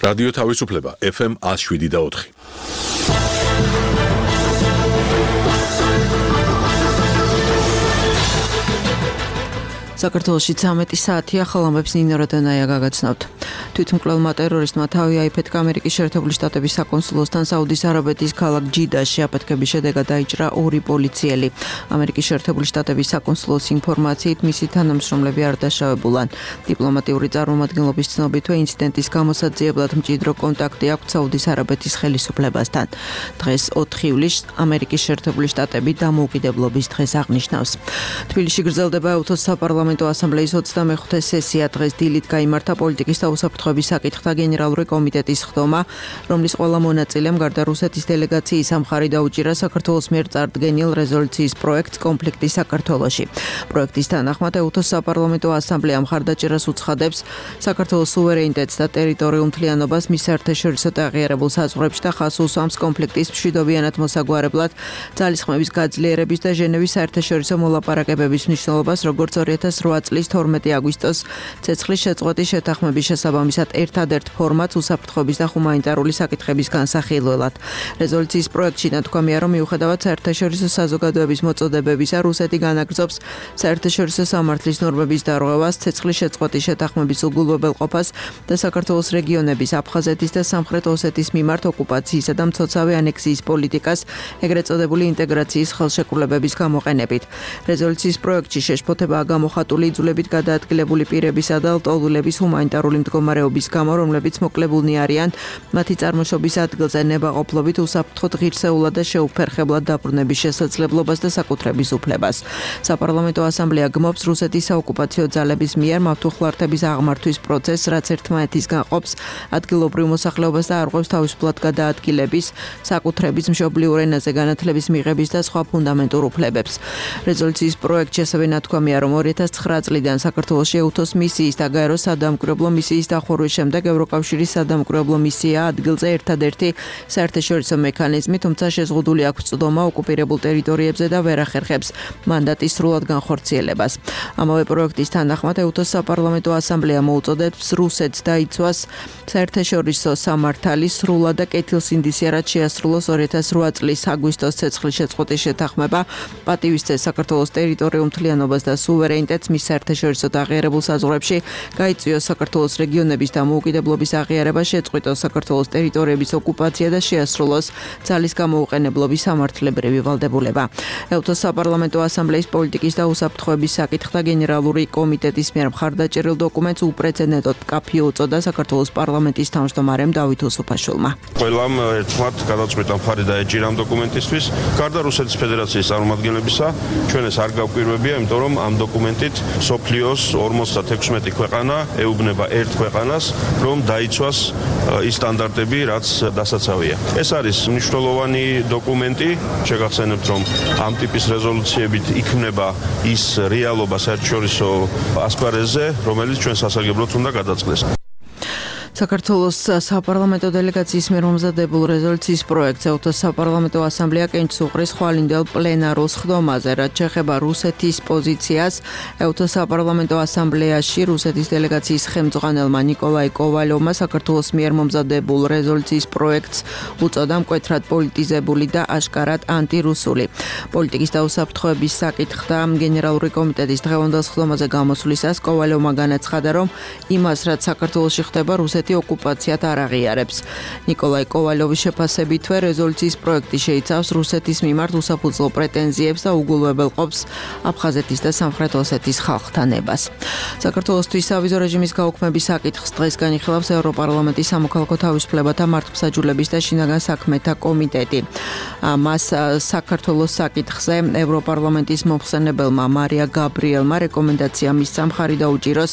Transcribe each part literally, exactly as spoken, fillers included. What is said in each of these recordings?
რადიო თავისუფლება ეფ ემ one oh seven და four. საქართველოში ცამეტი საათია ხალხამებს ნინო როდანაია გაგაცნობთ. თვითმკვლელმა ტერორისტმა თავი აიფეთქა ამერიკის შეერთებული შტატების საკონსულოსთან საუდის არაბეთის ქალაქ ჯიდაში. აფეთქების შედეგად დაიჭრა ორი პოლიციელი. ამერიკის შეერთებული შტატების საკონსულოს ინფორმაციით მისი თანამშრომლები არ დაშავებულან. დიპლომატიური წარმომადგენლობის ცნობითვე ინციდენტის გამოსაძიებლად მჭიდრო კონტაქტი აქვს საუდის არაბეთის ხელისუფლებასთან. დღეს ოთხი ივლისს ამერიკის შეერთებული შტატები დამოუკიდებლობის დღეს აღნიშნავს. თბილისში გრძელდება ეუთოს საპარლამენტო ასამბლეის ოცდამეხუთე სესია. დღეს დილით გაიმართა პოლიტიკის და უსაფრთხოების საკითხთა გენერალური კომიტეტის ხდომა, რომლის ყველა მონაწილემ გარდა რუსეთის დელეგაციის ამხარი დაუჭირა საქართველოს მიერ წარდგენილ რეზოლუციის პროექტს კონფლიქტი საქართველოში. პროექტის თანახმად ეუთოს საპარლამენტო ასამბლეა მხარდაჭერას უცხადებს საქართველოს სუვერენიტეტს და ტერიტორიულ მთლიანობას მის საერთაშორისო და აღიარებულ საზღვრებში და ხაზს უსვამს კონფლიქტის მშვიდობიანად მოსაგვარებლად ძალისხმევის გაძლიერების და ჟენევის საერთაშორისო მოლაპარაკებების მნიშვნელობას, როგორც ორი ათას რვა წლის თორმეტი აგვისტოს ცეცხლის შეწყვეტის შეთანხმების შესაბამისად ერთადერთ ფორმატს უსაფრთხოების და ჰუმანიტარული საკითხების განსახილველად. რეზოლუციის პროექტში ნათქვამია, რომ მიუხედავად საერთაშორისო საზოგადოების მოწოდებებისა, რუსეთი განაგრძობს საერთაშორისო სამართლის ნორმების დარღვევას, ცეცხლის შეწყვეტის შეთანხმების უგულვებელყოფას და საქართველოს რეგიონების, აფხაზეთის და სამხრეთ ოსეთის მიმართ ოკუპაციისა და მცოცავი ანექსიის პოლიტიკას, ეგრეთ წოდებული ინტეგრაციის ხელშეკრულებების გამოყენებით. რეზოლუციის პროექტში შეშფოთებაა გამოხატული იძულებით გადაადგილებული პირებისა და ლტოლვილების ჰუმანიტარული მდგომარეობის გამო, რომლებიც მოკლებულნი არიან მათი წარმოშობის ადგილზე ნებაყოფლობით, უსაფრთხოდ ღირსეულად და შეუფერხებლად დაბრუნების შესაძლებლობას და საკუთრების უფლებას. საპარლამენტო ასამბლეა გმობს რუსეთის საოკუპაციო ძალების მიერ მავთუხლართების აღმართვის პროცესს, რაც ერთმანეთისგან ყოფს ადგილობრივ მოსახლეობას და არღვევს თავისუფლად გადაადგილების, საკუთრების, მშობლიურ ენაზე განათლების მიღების და სხვა ფუნდამენტურ უფლებებს. რეზოლუციის პროექტში ასევე ნათქვამია, რომ ორი ათას ცხრა წლიდან საქართველოში ეუთოს მისიის და გაეროს სადამკვირვებლო მისიის დახურვის შემდეგ ევროკავშირის სადამკვირვებლო მისია ადგილზე ერთადერთი საერთაშორისო მექანიზმი, თუმცა შეზღუდული აქვს წვდომა ოკუპირებულ ტერიტორიებზე და ვერ ახერხებს მანდატის სრულად განხორციელებას. ამავე პროექტის თანახმად ეუთოს საპარლამენტო ასამბლეა მოუწოდებს რუსეთს დაიცვას საერთაშორისო სამართალი სრულად და კეთილსინდისიერად შეასრულოს ორი ათას რვა წლის აგვისტოს ცეცხლის შეწყვეტის შეთანხმება, პატივისცეს საქართველოს ტერიტორიულ მთლიანობას და სუვერენიტეტს მის საერთაშორისო და აღიარებულ საზღვრებში, გაიწვიოს საქართველოს რეგიონების დამოუკიდებლობის აღიარება, შეწყვიტოს საქართველოს ტერიტორიების ოკუპაცია და შეასრულოს ძალის გამოუყენებლობის სამართლებრივი ვალდებულება. ეუთოს საპარლამენტო ასამბლეის პოლიტიკის და უსაფრთხოების საკითხთა გენერალური კომიტეტის მიერ მხარდაჭერილ დოკუმენტს უპრეცედენტოდ მკაფიო უწოდა საქართველოს პარლამენტის თავმჯდომარემ დავით უსუფაშვილმა. ყველამ ერთმანეთ გადაწყვეტა მხარი დაეჭირა ამ დოკუმენტისთვის. გარდა რუსეთის ფედერაციის წარმომადგენლებისა, ჩვენ ეს არ გავკვირვებია, იმიტომ რომ ამ დოკუმენტით სოფლიოს ორმოცდათექვსმეტი ქვეყანა ეუბნება ერთ ქვეყანას, რომ დაიცვას ის სტანდარტები, რაც დასაცავია. ეს არის მნიშვნელოვანი დოკუმენტი. შეგახსენებთ, რომ ამ ტიპის რეზოლუციებით იქმნება ის რეალობა საერთაშორისო ასპარეზზე, რომელიც ჩვენ სასარგებლოდ უნდა გადაწყდეს. საქართველოს საპარლამენტო დელეგაციის მიერ მომზადებულ რეზოლუციის პროექტს ეუთოს საპარლამენტო ასამბლეა კენჭს უყრის ხვალინდელ პლენარულ სხდომაზე, რაც შეეხება რუსეთის პოზიციას. ეუთოს საპარლამენტო ასამბლეაში რუსეთის დელეგაციის ხელმძღვანელმა ნიკოლაი კოვალოვმა საქართველოს მიერ მომზადებულ რეზოლუციის პროექტს უწოდა მკვეთრად პოლიტიზებული და აშკარად ანტირუსული. პოლიტიკის და უსაფრთხოების საკითხთა გენერალური კომიტეტის დღევანდელ სხდომაზე გამოსვლისას კოვალოვმა განაცხადა, რომ იმას, რაც საქართველოში ხდება, რუსეთი ოკუპაციად არ აღიარებს. ნიკოლაი კოვალოვის შეფასებითვე რეზოლუციის პროექტი შეიცავს რუსეთის მიმართ უსაფუძვლო პრეტენზიებს და უგულვებელყოფს აფხაზეთის და სამხრეთ ოსეთის ხალხთა ნებას. საქართველოსთვის სავიზო რეჟიმის გაუქმების საკითხს დღეს განიხილავს ევროპარლამენტის სამოქალაქო თავისუფლებათა მართლმსაჯულების და შინაგან საქმეთა კომიტეტი. მას საქართველოს საკითხზე ევროპარლამენტის მომხსენებელმა მარია გაბრიელმა რეკომენდაცია მისცა მხარი დაუჭიროს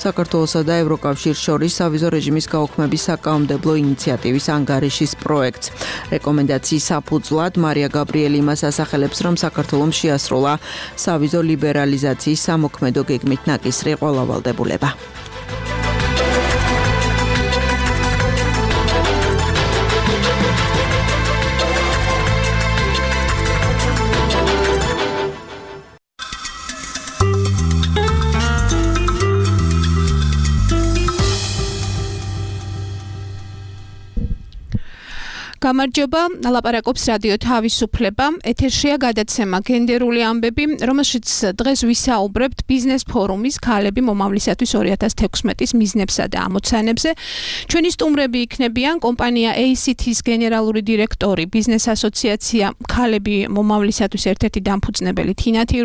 საქართველოსა და ევროკავშირს შორის სავიზო რეჟიმის გაუქმების საკანონმდებლო ინიციატივის ანგარიშის პროექტს. რეკომენდაციის საფუძვლად მარია გაბრიელი იმას ასახელებს, რომ საქართველოს შეასრულა სავიზო ლიბერალიზაციის სამოქმედო გეგმით ნაკისრი ყველა ვალდებულება. გამარჯობა, ლაპარაკობს რადიო თავისუფლება. ეთერშია გადაცემა გენდერული ამბები, რომელშიც დღეს ვისაუბრებთ ბიზნეს ფორუმის ქალები მომავლისათვის ორი ათას თექვსმეტის მიზნებსა და ამოცანებზე. ჩვენი სტუმრები იქნებიან კომპანია ეი სი თის გენერალური დირექტორი, ბიზნეს ასოციაცია ქალები მომავლისათვის ერთ-ერთი დამფუძნებელი თინათი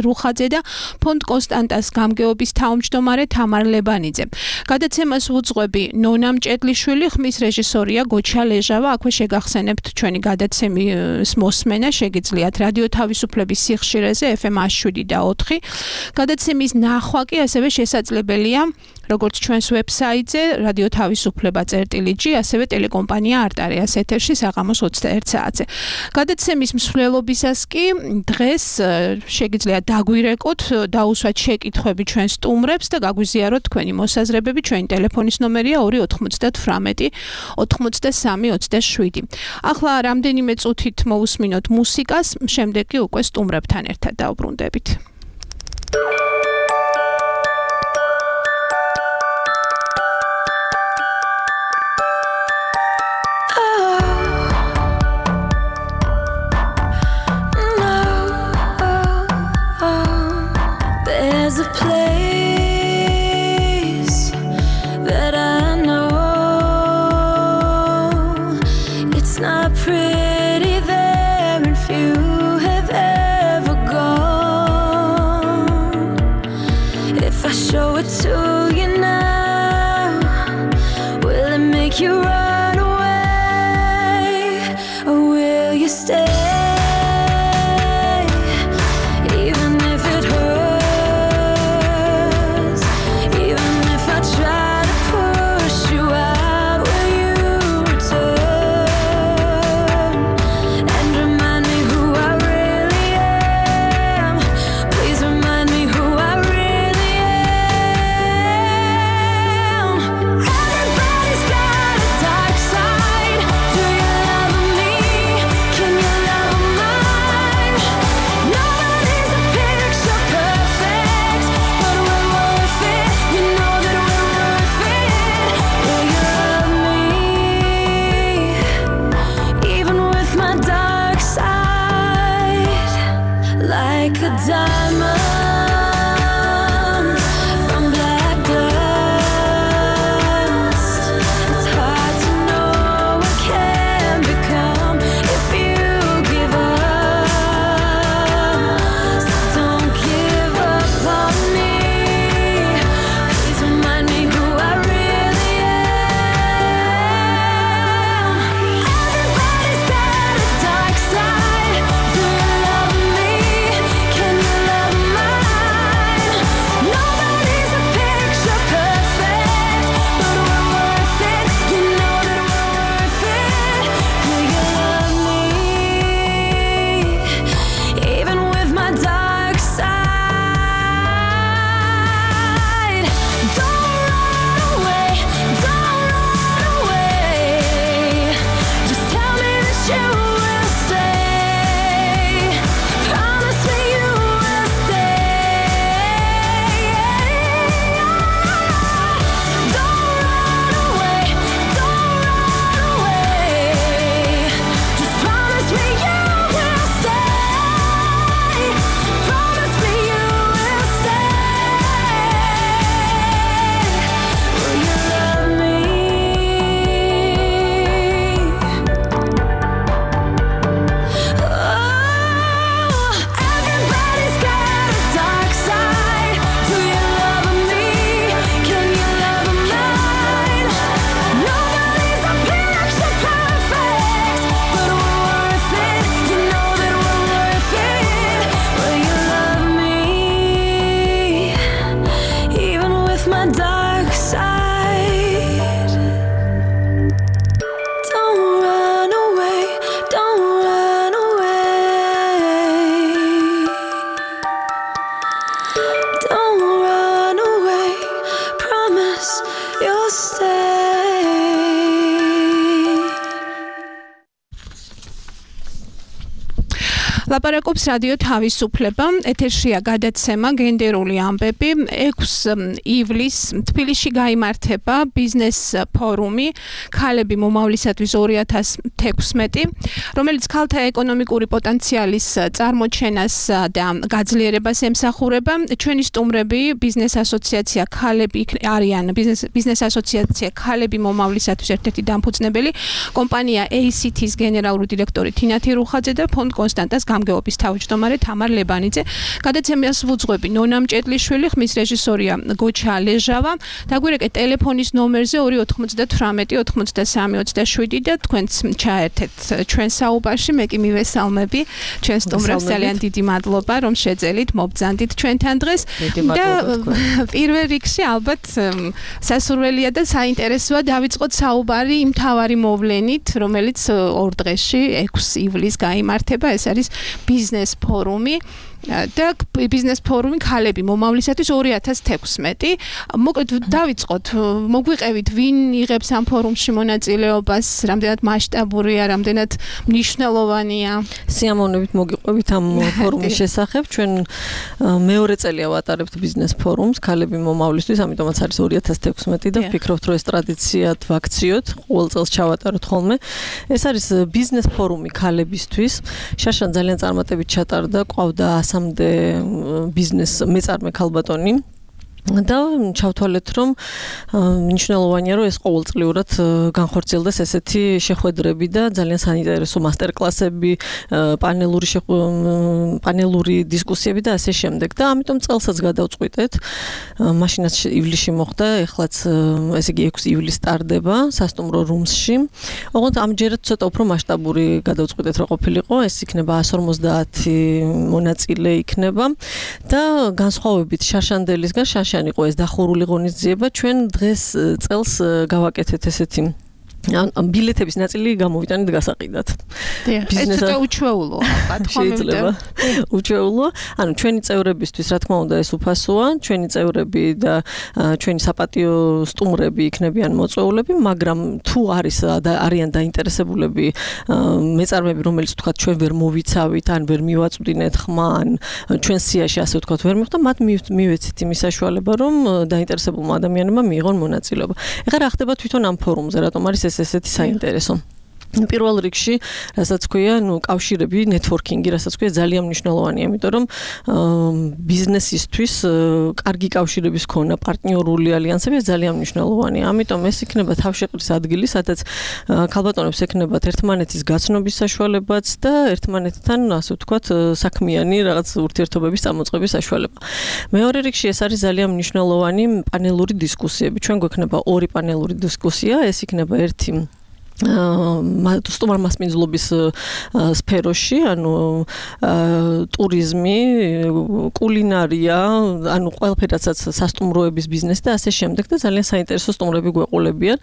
რუხაძე და ფონდ კონსტანტას გამგეობის თავმჯდომარე თამარ ლებანიძე. გადაცემას უძღვები ნონა მჭედლიშვილი, ხმის რეჟისორია გოჩა ლეჟავა. აქვე შეგახსენებთ ჩვენი გადაცემის მოსმენა, შეგიძლიათ რადიო თავისუფლების სიხშირეზე ეფ ემ ას შვიდი და ოთხი. გადაცემის ნახვა კი ასევე შესაძლებელია როგორც ჩვენს ვებსაიტზე რადიო თავისუფლება წერტილი ჯი, ასევე ტელეკომპანია არტარიას ეთერში საღამოს ოცდაერთ საათზე. გადაცემის მსვლელობისას კი დღეს შეგიძლიათ დაგვირეკოთ, დაუსვათ შეკითხვები ჩვენ სტუმრებს და გაგვიზიაროთ თქვენი მოსაზრებები. ჩვენი ტელეფონის ნომერია ორი ოთხმოცდათვრამეტი ოცდასამი ოცდაშვიდი. ახლა რამდენიმე წუთით მოусმინოთ მუსიკას, შემდეგ კი უკვე სტუმრებთან ერთად დავბრუნდებით. My ლაპარაკობს რადიო თავისუფლება, ეთერშია გადაცემა გენდერული ამბები. ექვსი ივლისს თბილისში გაიმართება ბიზნეს ფორუმი ქალები მომავლისათვის ორი ათას თექვსმეტი, რომელიც ქალთა ეკონომიკური პოტენციალის წარმოჩენას და გაძლიერებას ემსახურება. ჩვენი სტუმრები ბიზნეს ასოციაცია ქალები არიან ბიზნეს ბიზნეს ასოციაცია ქალები მომავლისათვის ერთ-ერთი დამფუძნებელი, კომპანია ეი სი თი-ის გენერალური დირექტორი თინათი რუხაძე და ფონდ კონსტანტას გამგეობის თავმჯდომარე თამარ ლებანიძე. გადაცემას ვუძღვები ნონა მჭედლიშვილი, ხმის რეჟისორია გოჩა ლეჟავა. დაგვირეკეთ ტელეფონის ნომერზე ორი ოთხმოცდათვრამეტი ოთხმოცდასამი ოცდაშვიდი და თქვენც ჩაერთეთ ჩვენ საუბარში. მე კი მივესალმები ჩვენ სტუმრებს, ძალიან დიდი მადლობა რომ შეძელით, მობრძანდით ჩვენთან დღეს და პირველ რიგში ალბათ სასურველია და საინტერესოა დავიწყოთ საუბარი იმ მთავარი მოვლენით, რომელიც ორ დღეში ექვსი ივლისს გაიმართება. ეს არის ბიზნეს ფორუმი და ბიზნეს ფორუმი ქალები მომავლისათვის ორი ათას თექვსმეტი. მოკლედ დავიწყოთ, მოგვიყევით ვინ იღებს ამ ფორუმში მონაწილეობას, რამდენად მასშტაბურია, რამდენად მნიშვნელოვანია. სიამოვნებით მოგიყვებით ამ ფორუმის შესახებ. ჩვენ მეორე წელია ვატარებთ ბიზნეს ფორუმს ქალები მომავლისთვის, ამიტომაც არის ორი ათას თექვსმეტი და ვფიქრობთ, რომ ეს ტრადიციად ვაქციოთ, ყოველ წელს ჩავატაროთ ხოლმე. ეს არის ბიზნეს ფორუმი ქალებისთვის. შაშან ძალიან წარმატებით ჩატარდა, ყავდა ასამდე ბიზნეს მეწარმე ქალბატონი. და ჩავთვალეთ, რომ მნიშვნელოვანია, რომ ეს ყოველწლიურად განხორციელდეს ესეთი შეხვედრები და ძალიან საინტერესო მასტერკლასები, პანელური პანელური დისკუსიები და ასე შემდეგ. და ამიტომ წელსაც გადავწყვიტეთ. მაშინაც ივლისში მოხდა, ეხლაც ესე იგი ექვსი ივლისს ტარდება სასტუმრო რუმსში. ოღონდ ამჯერად ცოტა უფრო მასშტაბური გადავწყვიტეთ, რომ ყოფილიყო. ეს იქნება εκατს ორმოცდაათი მონაწილე იქნება და განსხვავებით შაშანდელისგან შაშ იყო ეს დახურული ღონისძიება, ჩვენ დღეს წელს გავაკეთეთ ესეთი ბილეთების ნაწილი გამოვიტანეთ გასაყიდად. ეს ცოტა უჩვეულოა, შეიძლება. უჩვეულოა. ანუ ჩვენი წევრებისთვის, რა თქმა უნდა, ეს უფასოა. ჩვენი წევრები და ჩვენი საპატიო სტუმრები იქნებიან მოწვეულები, მაგრამ თუ არის და არიან დაინტერესებულები მეწარმეები, რომელიც თქვა ჩვენ ვერ მოვიცავით, ან ვერ მივაწვდინეთ ხმა, ან ჩვენ სიაში ასე ვთქვათ ვერ მიხვდა, მათ მივეცით იმის საშუალება, რომ დაინტერესებულმა ადამიანებმა მიიღონ მონაწილეობა. ეხლა რა ხდება თვითონ ამ ფორუმზე, რატომ არის ესეთი საინტერესო. პირველ რიგში, რასაც ქვია, ნუ კავშირები, ნეტვორკინგი, რასაც ქვია, ძალიან მნიშვნელოვანია, იმიტომ რომ ბიზნესისთვის კარგი კავშირების ქონა, პარტნიორული ალიანსები ძალიან მნიშვნელოვანია. ამიტომ ეს იქნება თავშეყრის ადგილი, სადაც ქალბატონებს ექნებათ ერთმანეთის გაცნობის საშუალებაც და ერთმანეთთან, ასე ვთქვათ, საქმიანი რაღაც ურთიერთობების წამოწყების საშუალება. მეორე რიგში ეს არის ძალიან მნიშვნელოვანი პანელური დისკუსიები. ჩვენ გვექნება ორი პანელური დისკუსია, ეს იქნება ერთი სტუმარ მასპინძლობის სფეროში, ანუ ტურიზმი, კულინარია, ანუ ყველაფერაცაც სასტუმროების ბიზნესი და ასე შემდეგ და ძალიან საინტერესო სტუმრები გვეყოლებიან,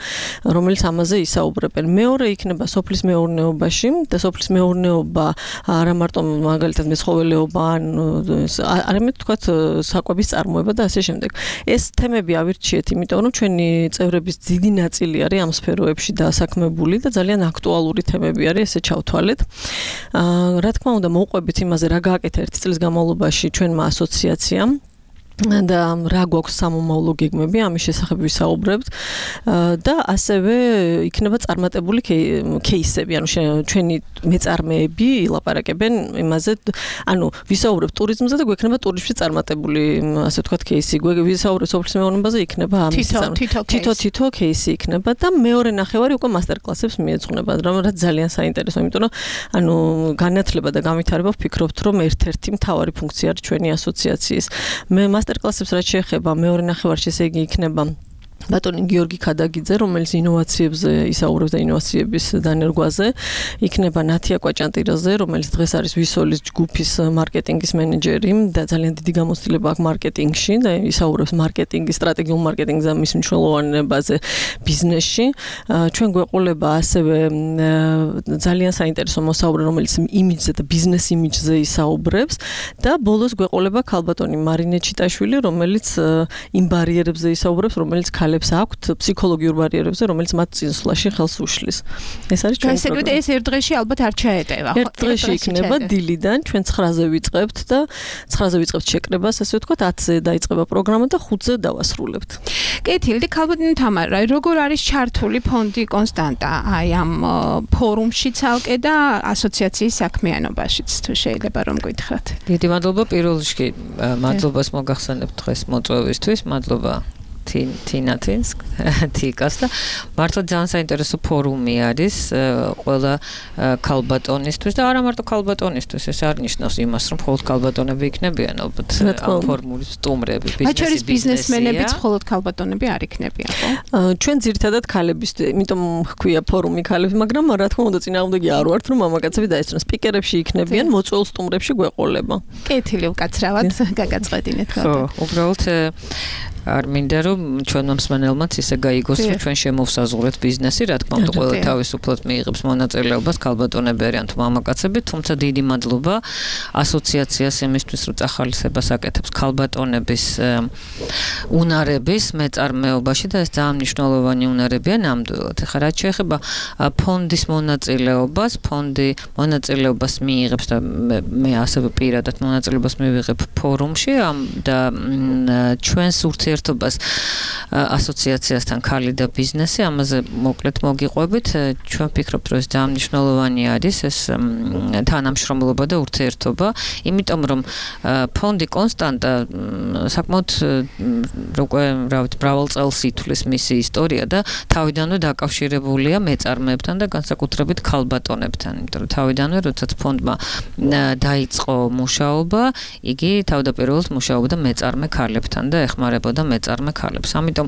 რომელიც ამაზე ისაუბრებენ. მეორე იქნება სოფლის მეურნეობაში და სოფლის მეურნეობა არა მარტო მაგალითად მეცხოველეობა, ან არამედ თქვათ საკვების წარმოება და ასე შემდეგ. ეს თემები ავირჩიეთ, იმიტომ რომ ჩვენი წევრების დიდი ნაწილი არის ამ სფეროებში დასაქმებული და ძალიან აქტუალური თემები არის, ესე ჩავთვალეთ. აა რა თქმა უნდა, მოვყვებით იმაზე, რა გააკეთა ერთი წლის განმავლობაში ჩვენმა ასოციაციამ და რა გვაქვს სამომავლო გეგმები, ამის შესახებ ვისაუბრებთ და ასევე იქნება წარმატებული кейსები, ანუ ჩვენი მეწარმეები ილაპარაკებენ იმაზე, ანუ ვისაუბრებთ ტურიზმზე და გვექნება ტურიზმში წარმატებული, ასე ვთქვათ, кейსი, ვისაუბრებთ სოფლის მეურნეობაზე, იქნება ამის თითო-თითო кейსი იქნება და მეორე ნახევარი უკვე მასტერკლასებს მიეძღვნება, რაც ძალიან საინტერესოა, იმიტომ რომ ანუ განათლება და განვითარება ვფიქრობთ, რომ ერთ-ერთი მთავარი ფუნქცია არის ჩვენი ასოციაციის. მე მასტერკლასებს რაც შეეხება მეორე ნახევარში, ესე იგი იქნება ბატონი გიორგი ქადაგიძე, რომელიც ინოვაციებზე ისაუბრებს და ინოვაციების დანერგვაზე, იქნება ნათია კვაჭანტირაძე, რომელიც დღეს არის ვისოლის ჯგუფის მარკეტინგის მენეჯერი და ძალიან დიდი გამოცდილება აქვს მარკეტინგში და ისაუბრებს მარკეტინგის, სტრატეგიულ მარკეტინგზე და მის მნიშვნელოვანებაზე ბიზნესში. ჩვენ გვეყოლება ასევე ძალიან საინტერესო მოსაუბრე, რომელიც იმიჯზე და ბიზნეს იმიჯზე ისაუბრებს და ბოლოს გვეყოლება ქალბატონი მარინე ჩიტაშვილი, რომელიც იმ ბარიერებზე ისაუბრებს, რომელიც ქალებს ბარიერებს აქვთ, ფსიქოლოგიურ ბარიერებზე, რომელიც მათ წინსვლაში ხელს უშლის. ეს არის ჩვენი პროგრამა. ეს ერთ დღეში ალბათ არ ჩაეტევა. ერთ დღეში იქნება დილიდან, ჩვენ ცხრაზე ვიწყებთ და ცხრაზე ვიწყებთ შეკრებას, ასე ვთქვათ, ათზე დაიწყება პროგრამა და ხუთზე დავასრულებთ. კეთილი, ქალბატონი თამარა, როგორ არის ჩართული ფონდი კონსტანტა აი ამ ფორუმში ცალკე და ასოციაციის საქმიანობაშიც, თუ შეიძლება რომ გითხრათ. დიდი მადლობა პირველ რიგში, მადლობას მოგახსენებთ დღეს მოწვევისთვის, მადლობა თინათინს, თიკას და მართლა ძალიან საინტერესო ფორუმი არის ყველა ქალბატონისთვის და არა მარტო ქალბატონისთვის, ეს არ ნიშნავს იმას, რომ მხოლოდ ქალბატონები იქნებიან, ალბათ ამ ფორუმის სტუმრები, ბიზნესის ბიზნესმენებიც მხოლოდ ქალბატონები არ იქნებიან, ხო? ჩვენ ძირითადად ქალების, იმიტომ ჰქვია ფორუმი ქალები, მაგრამ რა თქმა უნდა წინააღმდეგი არ ვართ, რომ მამაკაცები დაესწრონ სპიკერებში იქნებიან, მოწვეულ სტუმრებში გვეყოლება. კეთილი უკაცრავად გაგაწყვეტინეთ. ხო, უბრალოდ არ მინდა რომ ჩვენმა მსმენელმაც ისე გაიგოს რომ ჩვენ შემოვსაზღვრეთ ბიზნესი, რა თქმა უნდა ყველა თავისუფლად მიიღებს მონაწილეობას, ქალბატონები არიან თუ მამაკაცები, თუმცა დიდი მადლობა ასოციაციას იმისთვის რომ წახალისებას აკეთებს ქალბატონების უნარების მეწარმეობაში და ეს ძალიან მნიშვნელოვანი უნარებია ნამდვილად. ეხლა რაც შეეხება ფონდის მონაწილეობას, ფონდი მონაწილეობას მიიღებს და მე ასევე პირადად მონაწილეობას მივიღებ ფორუმში და ჩვენს ურთიერთობას ასოციაციასთან ქალი და ბიზნესი, ამაზე მოკლედ მოგიყვებით. ჩვენ ვფიქრობთ, რომ ეს ძალიან მნიშვნელოვანი არის ეს თანამშრომლობა და ურთიერთობა, იმიტომ რომ ფონდი კონსტანტა საკმაოდ უკვე რა ვიცი, მრავალ წელს ითვლის მისი ისტორია და თავიდანვე დაკავშირებულია მეწარმეებთან და განსაკუთრებით ქალბატონებთან, იმიტომ რომ თავიდანვე როდესაც ფონდმა დაიწყო მუშაობა, იგი თავდაპირველად მუშაობდა მეწარმე ქალებთან და ეხმარებოდა მეწარმე ქალებს. ამიტომ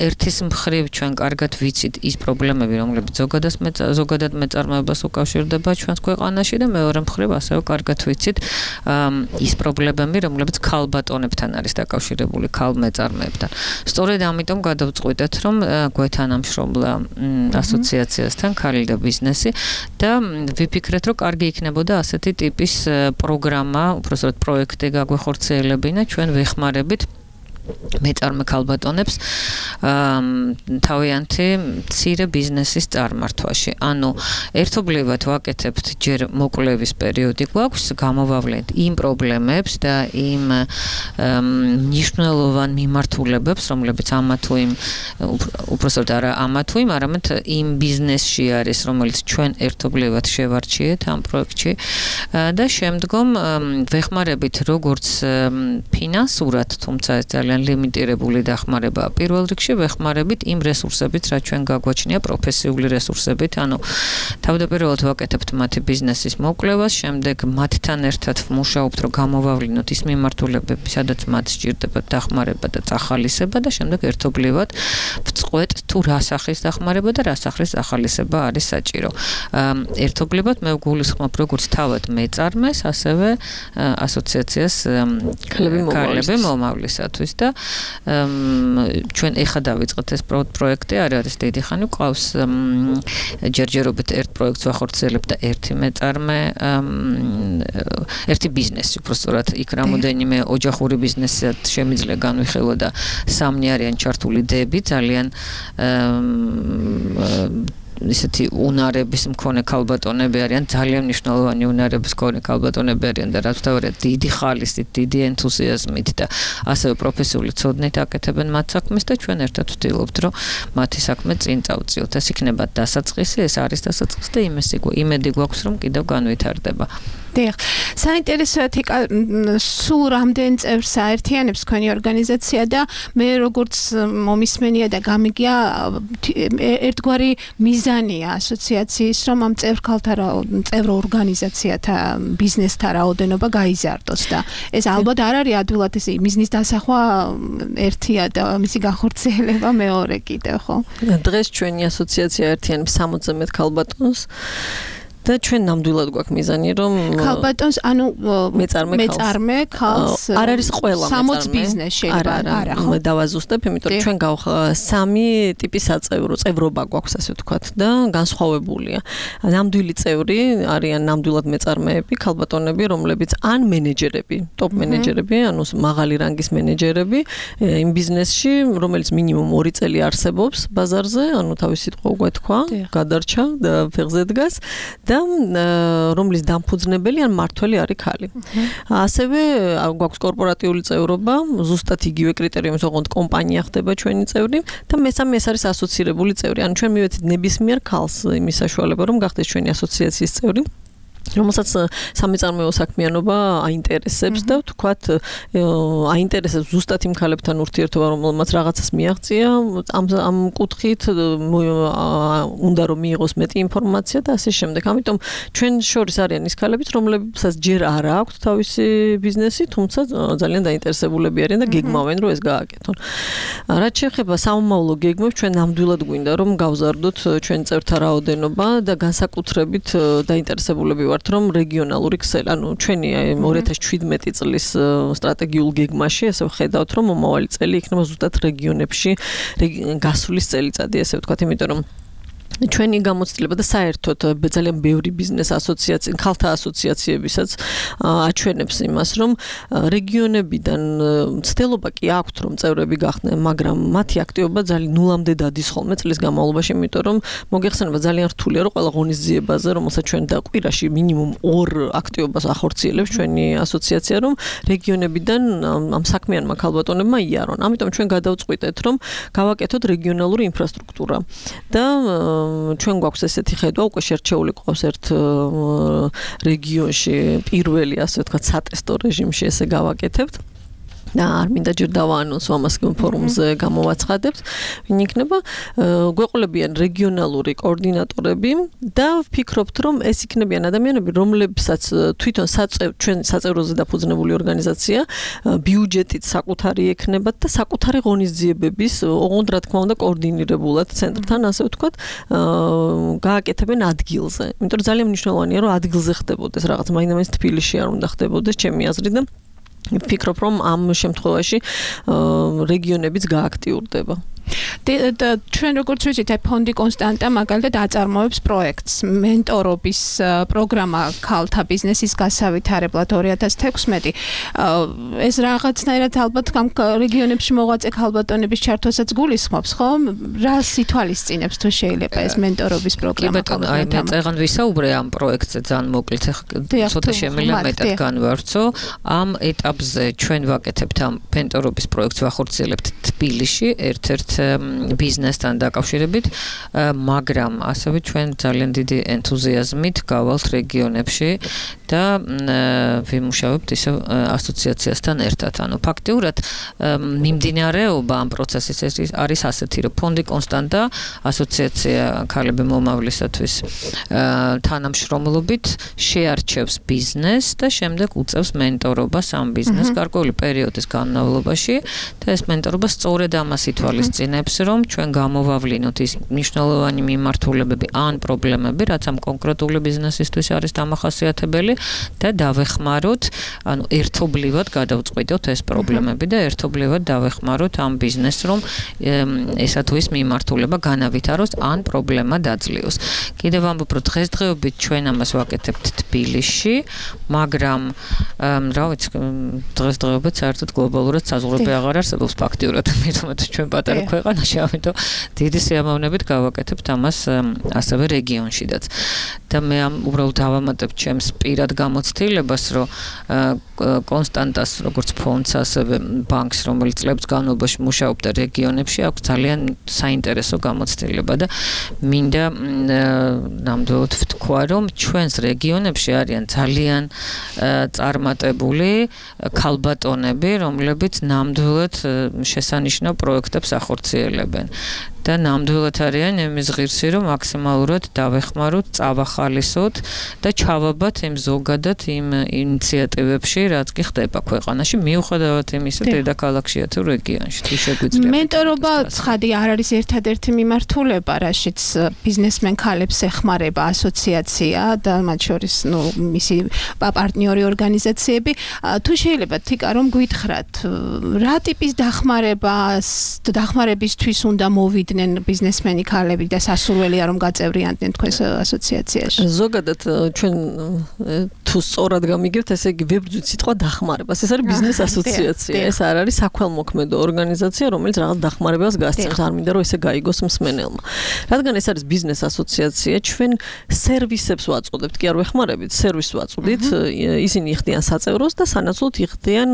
ერთის მხრივ ჩვენ კარგად ვიცით ის პრობლემები, რომლებიც ზოგადად ზოგადად მეწარმეობას უკავშირდება ჩვენს ქვეყანაში და მეორე მხრივ ასევე კარგად ვიცით ის პრობლემები, რომლებიც ქალბატონებთან არის დაკავშირებული, ქალმეწარმეებთან. სწორედ ამიტომ გადავწყვიტეთ, რომ გვეთანამშრომლა ასოციაციასთან ქალი და ბიზნესი და ვიფიქრეთ, რომ კარგი იქნებოდა ასეთი ტიპის პროგრამა, უпроსტად პროექტი გაგვეხორციელებინა, ჩვენ ვეხმარებით მეწარმე ქალბატონებს თავიანთი მცირე ბიზნესის წარმართვაში. ანუ ერთობლივად ვაკეთებთ ჯერ მოკვლევის პერიოდი გვაქვს, გამოვავლენთ იმ პრობლემებს და იმ მნიშვნელოვან მიმართულებებს, რომლებიც ამა თუ იმ უпроსტად არა ამა თუ იმ, არამედ იმ ბიზნესში არის, რომელიც ჩვენ ერთობლივად შევარჩიეთ ამ პროექტში და შემდგომ ვეხმარებით როგორც ფინანსურად, თუმცა ეს ძალიან ლიმიტირებული დახმარებაა. პირველ რიგში ვეხმარებით იმ რესურსებით, რაც ჩვენ გაგვაჩნია პროფესიული რესურსებით, ანუ თავდაპირველად ვაკეთებთ მათი ბიზნესის მოკვლევას, შემდეგ მათთან ერთად ვმუშაობთ, რომ გამოვავლინოთ ის მიმართულებები, სადაც მათ სჭირდებათ დახმარება და წახალისება და შემდეგ ერთობლივად ვწყვეტ თუ რა სახის დახმარება და რა სახის ახალისება არის საჭირო. ერთობლივად მე ვგულისხმობ როგორც თავად მეწარმეს, ასევე ასოციაციას ქალები მომავლისათვის და ჩვენ ეხა დავიწყეთ ეს პროექტი, არ არის დიდი ხანი, ყავს ჯერჯერობით ერთ პროექტს ვახორციელებთ და ერთი მეწარმე, ერთი ბიზნესი, უბრალოდ იქ რამოდენიმე ოჯახური ბიზნესად შემიძლია განვიხილო და სამნი არიან ჩართული დები, ძალიან ისეთი უნარების მქონე ქალბატონები არიან, ძალიან მნიშვნელოვანი უნარების მქონე ქალბატონები არიან და რაც თავარია დიდი ხალისით, დიდი ენთუზიაზმით და ასევე პროფესიული ცოდნით აკეთებენ მათ საქმეს და ჩვენ ერთად ვთილობთ, რომ მათი საქმე წინ წავწიოთ. ეს იქნება დასაწყისი, ეს არის დასაწყისი და იმედი გვაქვს, რომ კიდევ განვითარდება. დიახ. საინტერესოა თიკა სულ რამდენ წევრს აერთიანებს თქვენი ორგანიზაცია და მე როგორც მომისმენია და გამიგია ერთგვარი მიზანია ასოციაციის, რომ ამ წევრ ქალთა წევრ ორგანიზაციათა ბიზნესთა რაოდენობა გაიზარდოს და ეს ალბათ არ არის ადვილად ეს მიზნის დასახვა ერთია და მისი განხორციელება მეორე კიდევ, ხო? დღეს ჩვენი ასოციაცია აერთიანებს სამოცზე მეტ ქალბატონს. და ჩვენ ნამდვილად გვაქვს მიზანი რომ ქალბატონს ანუ მეწარმე მეწარმე ქალს არ არის ყველა სამოც ბიზნეს შეიძლება არა მე დავაზუსტებ იმიტომ რომ ჩვენ გავხ სამი ტიპის საწევრო წევრობა გვაქვს ასე ვთქვათ და განსხვავებულია ნამდვილი წევრი არიან ნამდვილად მეწარმეები ქალბატონები რომლებიც ან მენეჯერები ტოპ მენეჯერები ანუ მაღალი რანგის მენეჯერები იმ ბიზნესში რომელიც მინიმუმ ორი წელი არსებობს ბაზარზე ანუ თავის სიტყვა უგვეთქვა გადარჩა და ფეხზე დგას და რომლის დამფუძნებელი ან მმართველი არის ქალი. ასევე გვაქვს კორპორატიული წევრობა, ზუსტად იგივე კრიტერიუმის ოღონდ კომპანია ხდება ჩვენი წევრი და მესამე ეს არის ასოცირებული წევრი. ანუ ჩვენ მივეცით ნებისმიერ ქალს იმის საშუალება რომ გახდეს ჩვენი ასოციაციის წევრი. რომელსაც სამეწარმეო საქმიანობა აინტერესებს და ვთქვათ აინტერესებს ზუსტად იმ ქალებთან ურთიერთობა რომელმაც რაღაცას მიაღწია ამ ამ კუთხით უნდა რომ მიიღოს მეტი ინფორმაცია და ასე შემდეგ. ამიტომ ჩვენ შორის არიან ის ქალებიც რომლებსაც ჯერ არ აქვთ თავისი ბიზნესი, თუმცა ძალიან დაინტერესებულები არიან და გეგმავენ რომ ეს გააკეთონ. რაც შეეხება სამომავლო გეგმებს, ჩვენ ნამდვილად გვინდა რომ გავზარდოთ ჩვენ წევრთა რაოდენობა და განსაკუთრებით დაინტერესებულები ვართ რომ რეგიონალური ქსელი, ანუ ჩვენი ორი ათას შვიდმეტი წლის სტრატეგიულ გეგმაში ასე ვხედავთ რომ მომავალი წელი იქნება ზუსტად რეგიონებში გასulis წელიწადი ასე ვთქვათ, იმიტომ რომ ჩვენი გამოცდილება და საერთოდ ძალიან ბევრი ბიზნეს ასოციაცია, ქალთა ასოციაციებისაც აჩვენებს იმას, რომ რეგიონებიდან ცდილობა კი აქვთ, რომ წევრები გახდნენ, მაგრამ მათი აქტივობა ძალიან ნულამდე დადის ხოლმე წლის განმავლობაში, იმიტომ რომ მოგეხსენება ძალიან რთულია, რომ ყველა ღონისძიებაზე, რომელსაც ჩვენ და კვირაში მინიმუმ ორ აქტივობას ახორციელებს ჩვენი ასოციაცია, რომ რეგიონებიდან ამ საქმიანმა ქალბატონებმა იარონ. ამიტომ ჩვენ გადავწყვიტეთ, რომ გავაკეთოთ რეგიონალური ინფრასტრუქტურა და ჩვენ გვაქვს ესეთი ხედვა, უკვე შერჩეული ყავს ერთ რეგიონში პირველი, ასე ვთქვათ, სატესტო რეჟიმში ესე გავაკეთებთ. და არ მინდა ჯერ დავაანონსო ამას ფორუმზე გამოვაცხადებთ. ვინ იქნება? გვეყოლებიან რეგიონალური კოორდინატორები და ვფიქრობთ, რომ ეს იქნებიან ადამიანები, რომლებსაც თვითონ ჩვენ საწევროზე დაფუძნებული ორგანიზაცია ბიუჯეტით საკუთარი ექნებათ და საკუთარი ღონისძიებების, ოღონდ რა თქმა უნდა, კოორდინირებულად ცენტრთან, ასე ვთქვათ, გააკეთებენ ადგილზე. იმიტომ რომ ძალიან მნიშვნელოვანია, რომ ადგილზე ხდებოდეს რაღაც, მაინც თბილისში არ უნდა ხდებოდეს, ჩემი აზრით და ვფიქრობ, რომ ამ შემთხვევაში რეგიონებიც გააქტიურდება. და ჩვენ როგორც ვიცით, ფონდი კონსტანტა მაგალითად აწარმოებს პროექტს მენტორობის პროგრამა ქალთა ბიზნესის გასავითარებლად ორი ათას თექვსმეტი. ეს რაღაცნაირად ალბათ ამ რეგიონებში მოღვაწე ქალბატონების ჩართვასაც გულისხმობს, ხო? რას ითვალისწინებს თუ შეიძლება ეს მენტორობის პროგრამა? კი ბატონო, აი მე წეგან ვისაუბრე ამ პროექტზე ძალიან მოკლედ, ცოტა შემიძლია მეტად განვავრცო. ამ ეტაპზე ჩვენ ვაკეთებთ ამ მენტორობის პროექტს ვახორციელებთ თბილისში, ერთ-ერთ ბიზნესთან დაკავშირებით, მაგრამ ასევე ჩვენ ძალიან დიდი ენთუზიაზმით გავალთ რეგიონებში და ვიმუშავებთ ისე ასოციაციასთან ერთად. ანუ ფაქტიურად მიმდინარეობა ამ პროცესის არის ასეთი, რომ ფონდი კონსტანტა ასოციაცია ქალები მომავლისათვის თანამშრომლობით შეარჩევს ბიზნესს და შემდეგ უწევს მენტორობას ამ ბიზნესს გარკვეული პერიოდის განმავლობაში და ეს მენტორობა სწორედ ამას ითვალისწინებს, რომ ჩვენ გამოვავლინოთ ის მნიშვნელოვანი მიმართულებები ან პრობლემები, რაც ამ კონკრეტული ბიზნესისთვის არის დამახასიათებელი და დავეხმაროთ, ანუ ერთობლივად გადავწყვიტოთ ეს პრობლემები და ერთობლივად დავეხმაროთ ამ ბიზნესს, რომ ესა თუ ის მიმართულება განავითაროს ან პრობლემა დაძლიოს. კიდევ ამბობ, რომ დღესდღეობით ჩვენ ამას ვაკეთებთ თბილისში, მაგრამ რა ვიცი, დღესდღეობით საერთოდ გლობალურად საზღვრები აღარ არსებობს ფაქტიურად, მithmet ჩვენ პატარა ქვეყანაში, ამიტომ დიდი სიამოვნებით გავაკეთებთ ამას ასევე რეგიონშიდაც. და მე ამ უბრალოდ დავამატებ ჩემს პირად გამოცდილებას, რომ კონსტანტას როგორც ფონდს, ასევე ბანკს, რომელიც წლების განმავლობაში მუშაობდა რეგიონებში, აქვს ძალიან საინტერესო გამოცდილება და მინდა ნამდვილად ვთქვა, რომ ჩვენს რეგიონებში არიან ძალიან წარმატებული ქალბატონები, რომლებიც ნამდვილად შესანიშნავ პროექტებს ახორციელებენ. ახორციელებენ. და ნამდვილად არიან იმის ღირსი, რომ მაქსიმალურად დავეხმაროთ, წავახალისოთ და ჩავაბათ იმ ზოგადად იმ ინიციატივებში, რაც კი ხდება ქვეყანაში, მიუხედავად იმისა, დედაქალაქშია თუ რეგიონში, თუ შეგვიძლია. მენტორობა ცხადი არ არის ერთადერთი მიმართულება, რაშიც ბიზნესმენ ქალებს ეხმარება ასოციაცია და მათ შორის, ნუ, მისი პარტნიორი ორგანიზაციები. თუ შეიძლება თიკა რომ გითხრათ, რა ტიპის დახმარებას, დახმარებისთვის უნდა მოვიდნენ ბიზნესმენი ქალები და სასურველია რომ გაწევრიანდნენ თქვენს ასოციაციაში. ზოგადად ჩვენ თუ სწორად გამიგებთ, ესე იგი ვებრძვით სიტყვა დახმარებას. ეს არის ბიზნეს ასოციაცია. ეს არ არის საქველმოქმედო ორგანიზაცია, რომელიც რაღაც დახმარებას გასცემს. არ მინდა რომ ესე გაიგოს მსმენელმა. რადგან ეს არის ბიზნეს ასოციაცია, ჩვენ სერვისებს ვაწოდებთ, კი არ ვეხმარებით, სერვისს ვაწოდით. ისინი იხდიან საწევროს და სანაცვლოდ იხდიან,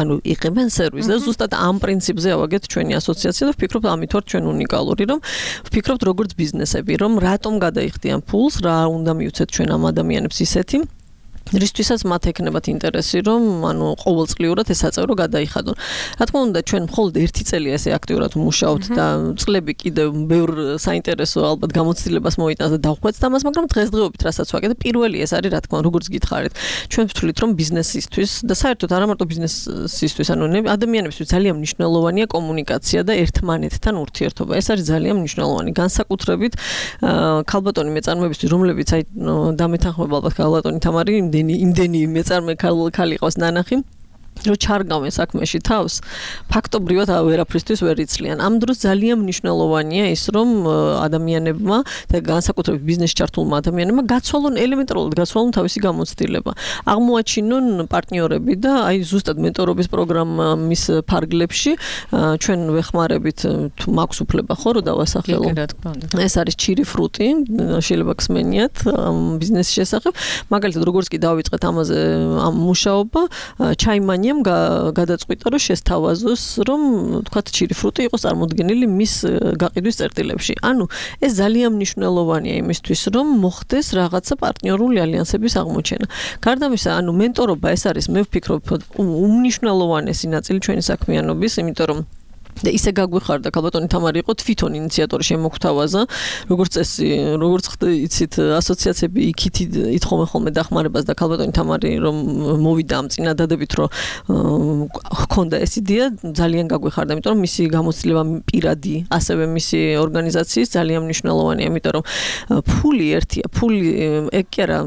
ანუ იღებენ სერვისს და ზუსტად ამ პრინციპზე ავაგეთ ჩვენი ასოციაცია და ვფიქრობ ამით ვარ ჩვენ უნიკალური, რომ ვფიქრობთ როგორც ბიზნესები, რომ რატომ გადაიხდიან ფულს, რა უნდა მივცეთ ჩვენ ამ ადამიანებს ისეთი რისთვისაც მათ ექნებათ ინტერესი, რომ ანუ ყოველწლიურად ეს საწევრო გადაიხადონ. რა თქმა უნდა, ჩვენ მხოლოდ ერთი წელია ესე აქტიურად ვმუშაობთ და წლები კიდევ ბევრ საინტერესო ალბათ გამოცდილებას მოიტანს და დავხვეწ ამას, მაგრამ დღესდღეობით რასაც ვაკეთებ, პირველი ეს არის, რა თქმა უნდა, როგორც გითხარით. ჩვენ ვთვლით, რომ ბიზნესისთვის და საერთოდ არა მარტო ბიზნესისთვის, ანუ ადამიანებისთვის ძალიან მნიშვნელოვანია კომუნიკაცია და ერთმანეთთან ურთიერთობა. ეს არის ძალიან მნიშვნელოვანი. განსაკუთრებით ქალბატონი მეწარმეებისთვის, რომლებიც აი დამეთანხმება ალბათ ქალბატონი თამარი იმდენი მეწარმე ქალი ყავს ნანახი რომ ჩარგავენ საქმეში თავს, ფაქტობრივად ვერაფრისთვის ვერ იცლიან. ამ დროს ძალიან მნიშვნელოვანია ის, რომ ადამიანებმა და განსაკუთრებით ბიზნესში ჩართულმა ადამიანებმა გაცვალონ ელემენტარულად გაცვალონ თავისი გამოცდილება. აღმოაჩინონ პარტნიორები და აი ზუსტად მენტორობის პროგრამის ფარგლებში ჩვენ ვეხმარებით, თუ მაქვს უფლება ხო რომ დავასახელო. ეს არის ჩირი ფრუტი, შეიძლება გსმენიათ ბიზნესის შესახებ. მაგალითად, როგორც კი დავიწყეთ ამაზე ამ მუშაობა, ჩაიმანი გადაწყვიტა რომ შესთავაზოს რომ თქვათ ჩირი ფრუტი იყოს წარმოდგენილი მის გაყიდვის წერტილებში. ანუ ეს ძალიან მნიშვნელოვანია იმისთვის რომ მოხდეს რაღაცა პარტნიორული ალიანსების აღმოჩენა. გარდა ამისა, ანუ მენტორობა ეს არის მე ვფიქრობ უმნიშვნელოვანესი ნაწილი ჩვენი საქმიანობის, იმიტომ რომ და ისე გაგვიხარდა ქალბატონი თამარი იყო თვითონ ინიციატორი შემოგვთავაზა, როგორც წესი, როგორც იცით, ასოციაციები იქით ითხოვენ ხოლმე დახმარებას და ქალბატონი თამარი რომ მოვიდა ამ წინადადებით, რომ ჰქონდა ეს იდეა, ძალიან გაგვიხარდა, იმიტომ რომ მისი გამოცდილება პირადი, ასევე მისი ორგანიზაციის ძალიან მნიშვნელოვანია, იმიტომ რომ ფული ერთია, ფული ეგ კი არა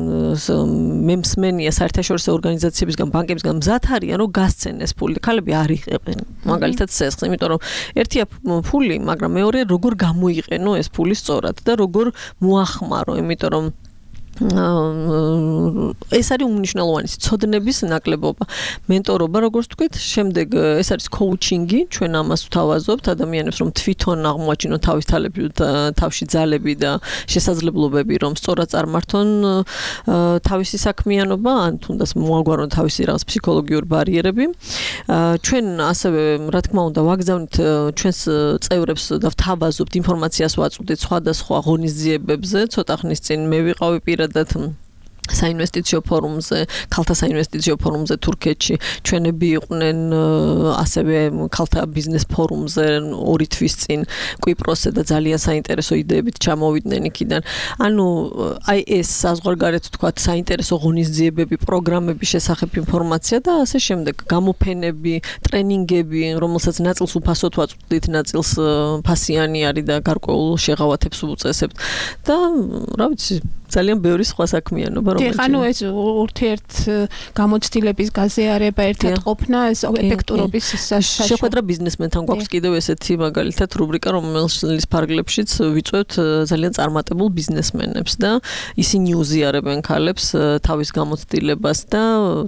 მე მსმენია საერთაშორისო ორგანიზაციებისგან, ბანკებისგან მზად არიან, რომ გასცენ ეს ფული. ქალები არ იღებენ, მაგალითად სესხს, იმიტომ რომ ერთია ფული, მაგრამ მეორე როგორ გამოიყენო ეს ფული სწორად და როგორ მოახმარო, იმიტომ რომ ეს არის უმნიშვნელოვანესი ცოდნების ნაკლებობა. მენტორობა, როგორც თქვით, შემდეგ ეს არის კოუჩინგი, ჩვენ ამას ვთავაზობთ ადამიანებს, რომ თვითონ აღმოაჩინონ თავის თავში ძალები და შესაძლებლობები, რომ სწორად წარმართონ თავისი საქმიანობა, ან თუნდაც მოაგვარონ თავისი რაღაც ფსიქოლოგიური ბარიერები. ჩვენ ასევე, რა თქმა უნდა, ვაგზავნით ჩვენს წევრებს და ვთავაზობთ ინფორმაციას ვაწვდით სხვადასხვა ღონისძიებებზე, ცოტა ხნის წინ მე ვიყავი პირად საინვესტიციო ფორუმზე, ქალთა საინვესტიციო ფორუმზე თურქეთში, ჩვენები იყვნენ ასევე ქალთა ბიზნეს ფორუმზე ორი თვის წინ კვიპროსზე და ძალიან საინტერესო იდეებით ჩამოვიდნენ იქიდან. ანუ აი ეს საზღვარგარეთ თქვათ საინტერესო ღონისძიებები, პროგრამების შესახებ ინფორმაცია და ასე შემდეგ, გამოფენები, ტრენინგები, რომელსაც ნაწილს უფასოდ ვაწვდით, ნაწილს ფასიანი არის და გარკვეულ შეღავათებს უწესებთ და რა ვიცი ძალიან ბევრი სხვა საქმიანობა რომელიც ანუ ეს ურთიერთ გამოცდილების გაზიარება, ერთად ყოფნა, ეს ეფექტურობის საშუალება. შეხვედრა ბიზნესმენთან გვაქვს კიდევ ესეთი მაგალითად რუბრიკა, რომელის ფარგლებშიც ვიწვევთ ძალიან წარმატებულ ბიზნესმენებს და ისინი უზიარებენ ქალებს თავის გამოცდილებას და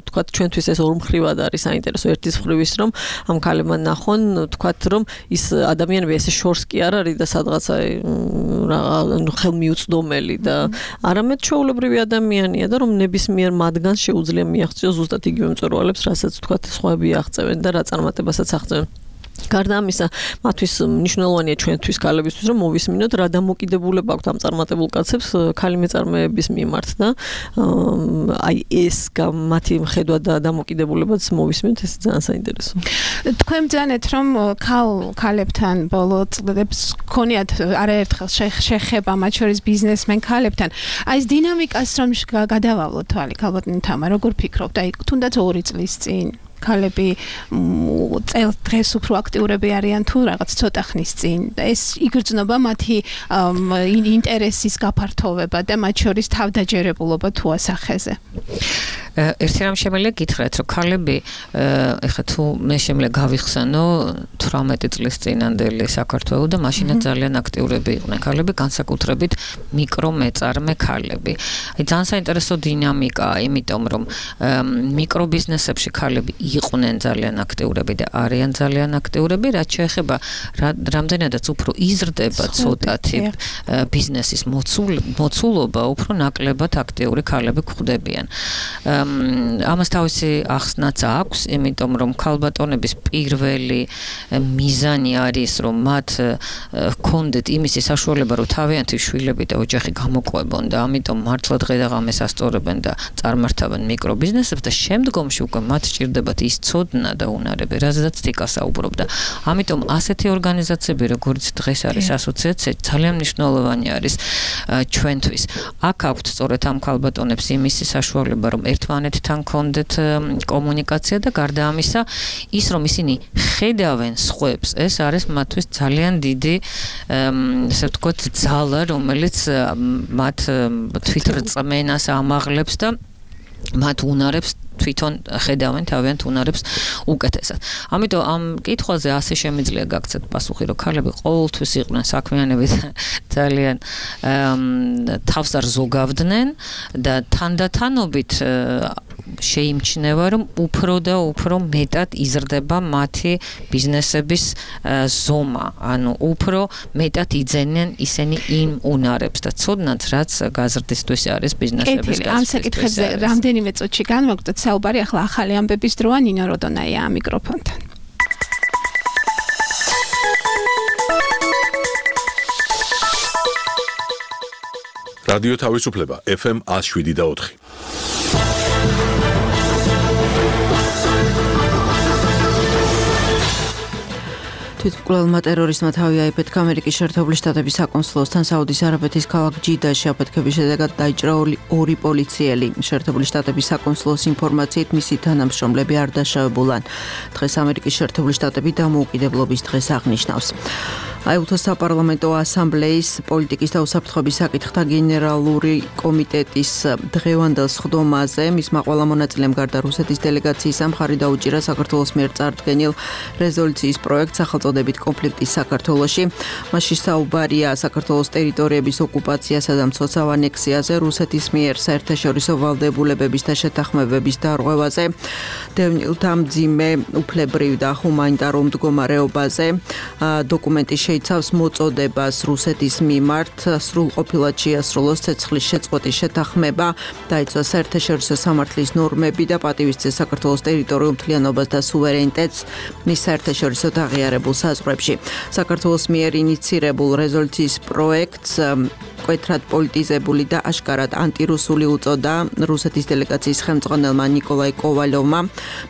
თქვათ ჩვენთვის ეს ორმხრივად არის საინტერესო. ერთის მხრივ ის რომ ამ ქალებმა ნახონ, თქვათ რომ ის ადამიანები ესე შორს კი არ არის და სადღაცა ხელმიუწვდომელი და არამედ ჩვეულებრივი ადამიანია და რომ ნებისმიერ მათგანს შეუძლია მიაღწიოს ზუსტად იგივე მწვერვალებს, რასაც თქვათ სხვაები აღწევენ და რა წარმატებასაც აღწევენ. გარდა ამისა, მათთვის მნიშვნელოვანია ჩვენთვის ქალებისთვის, რომ მოვისმინოთ რა დამოკიდებულება აქვთ ამ წარმატებულ კაცებს ქალი მეწარმეების მიმართ და აი ეს მათი ხედვა და დამოკიდებულებაც მოვისმინოთ, ეს ძალიან საინტერესოა. თქვენ ბრძანეთ, რომ ქალ ქალებთან ბოლო წლებს ქონიათ არაერთხელ შეხება მათ შორის ბიზნესმენ ქალებთან. აი ეს დინამიკას რომ გადავავლოთ თვალი, ქალბატონი თამა, როგორ ფიქრობთ? აი თუნდაც ორი წლის წინ ქალები წელ დღეს უფრო აქტიურები არიან თუ რაღაც ცოტა ხნის წინ. ეს იგრძნობა მათი ინტერესის გაფართოვება და მათ შორის თავდაჯერებულობა თუ ასახეზე. ერთი რამ შემიძლია გითხრათ, რომ ქალები ეხლა თუ მე შემიძლია გავიხსენო თვრამეტი წლის წინანდელი საქართველოს და მაშინაც ძალიან აქტიურები იყვნენ ქალები, განსაკუთრებით მიკრომეწარმე ქალები. აი ძალიან საინტერესო დინამიკაა, იმიტომ რომ მიკრობიზნესებში ქალები იყვნენ ძალიან აქტიურები და არიან ძალიან აქტიურები, რაც შეეხება რამდენადაც უფრო იზრდება ცოტათი ბიზნესის მოცულობა, უფრო ნაკლებად აქტიური ქალები გვხვდებიან. ამას თავისი ახსნაც აქვს, იმიტომ რომ ქალბატონების პირველი მიზანი არის, რომ მათ ჰქონდეთ იმისი საშუალება, რომ თავიანთი შვილები და ოჯახი გამოყვებონ და ამიტომ მართლა დღე-დღეს ასწორებენ და წარმართავენ მიკრობიზნესებს და შემდგომში უკვე მათ სჭირდებათ ის ცოდნა და უნარები, რაზეც თიკა საუბრობდა. ამიტომ ასეთი ორგანიზაციები, როგორც დღეს არის ასოციაცია, ძალიან მნიშვნელოვანი არის ჩვენთვის. აქ აქვთ სწორედ ამ ქალბატონებს იმისი საშუალება, რომ ერთმანეთთან კონდეთ კომუნიკაცია და გარდა ამისა, ის რომ ისინი ხედავენ სხვებს, ეს არის მათთვის ძალიან დიდი, ესე ვთქვათ, ძალა, რომელიც მათ თვითრწმენას ამაღლებს და მათ უნარებს თვითონ ხედავენ თავიანთ უნარებს უკეთესად. ამიტომ ამ კითხვაზე ასე შემიძლია გაგცეთ პასუხი, რომ ქალები ყოველთვის იყვნენ საქმიანობით ძალიან თავს არ ზოგავდნენ და თანდათანობით შეიმჩნევა, რომ უფრო და უფრო მეტად იზრდება მათი ბიზნესების ზომა, ანუ უფრო მეტად იძენენ ისინი იმ უნარებს და ცოდნაც, რაც გაზრდისთვის არის ბიზნესების გაზრდისთვის. ამ საკითხებზე რამდენიმე წუთში განვაგრძელოთ საუბარი, ახლა ახალი ამბების დროა, ნინო როდონაია ამ მიკროფონთან. რადიო თავისუფლება ეფ ემ one oh seven და four. თვითმკვლელმა ტერორისტმა თავი აიფეთქა ამერიკის შეერთებული შტატების საკონსულოსთან საუდის არაბეთის ქალაქ ჯიდაში. აფეთქების შედეგად დაიჭრა ორი პოლიციელი. შეერთებული შტატების საკონსულოს ინფორმაციით მისი თანამშრომლები არ დაშავებულან. დღეს ამერიკის შეერთებული შტატები დამოუკიდებლობის დღეს აღნიშნავს. აიუთოს საპარლამენტო ასამბლეის პოლიტიკის და უსაფრთხოების საკითხთა გენერალური კომიტეტის დღევანდელ სხდომაზე მისმა ყველა მონაწილემ გარდა რუსეთის დელეგაციის მხარი დაუჭირა საქართველოს მიერ წარდგენილ რეზოლუციის პროექტს სახელწოდებით კონფლიქტის საქართველოში. მასში საუბარია საქართველოს ტერიტორიების ოკუპაციასა და მცოცავ ანექსიაზე, რუსეთის მიერ საერთაშორისო ვალდებულებების და შეთანხმებების დარღვევაზე, დევნილთა მძიმე უფლებრივ და ჰუმანიტარულ მდგომარეობაზე. დოკუმენტი იცავს მოწოდებას რუსეთის მიმართ სრულყოფილად შეასრულოს ცეცხლის შეწყვეტის შეთანხმება, დაიცვა საერთაშორისო სამართლის ნორმები და პატივისცეს საქართველოს ტერიტორიულ მთლიანობას და სუვერენიტეტს მის საერთაშორისო აღიარებულ საზღვრებში. საქართველოს მიერ ინიცირებულ რეზოლუციის პროექტს მკვეთრად პოლიტიზებული და აშკარად ანტირუსული უწოდა რუსეთის დელეგაციის ხელმძღვანელმა ნიკოლაი კოვალოვმა.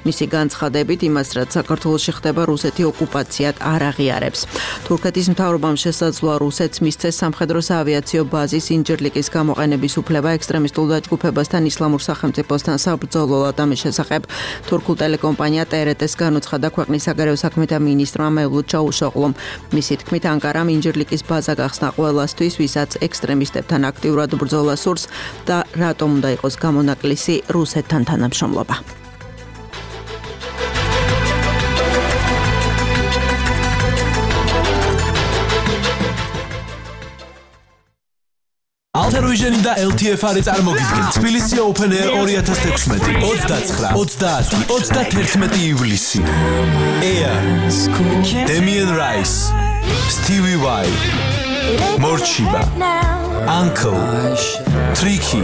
მისი განცხადებით იმას, რაც საქართველოში ხდება, რუსეთი ოკუპაციად არ აღიარებს. თურქეთის მთავრობამ შესაძლოა რუსეთს მისცეს სამხედრო საავიაციო ბაზის ინჯერლიკის გამოყენების უფლება ექსტრემისტულ დაჯგუფებასთან ისლამურ სახელმწიფოსთან საბრძოლოდ. ამის შესახებ თურქულ ტელეკომპანია ტერეტეს განუცხადა ქვეყნის საგარეო საქმეთა მინისტრმა მევლუდ ჩაუშოღლომ. მისი თქმით, ანკარამ ინჯერლიკის ბაზა გახსნა ყველასთვის, ვისაც ექსტრემისტებთან აქტიურად ბრძოლა სურს და რატომ უნდა იყოს გამონაკლისი რუსეთთან თანამშრომლობა. Alter-Vision და ელ თი ეფ არის წარმოგიდგენთ თბილისი Open Air twenty sixteen ოცდაცხრა, ოცდაათი, ოცდათერთმეტი ივლისი. Air, Damien Rice, Stevie Vai, Morchiba, Uncle, Tricky,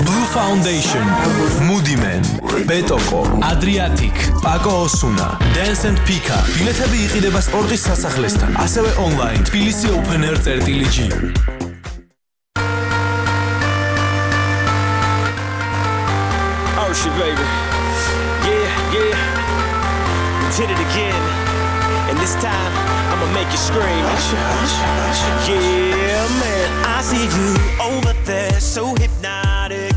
Blue Foundation, Moody-Man, Betoko, Adriatic, Paco Osuna, Dance and Pika. ბილეთები იყიდება სპორტის სასახლესთან, ასევე online თბილისი open air წერტილი G. Oh shit, baby. Yeah, yeah. We did it again. And this time, I'ma make you scream. Yeah, man. I see you over there, so hypnotic.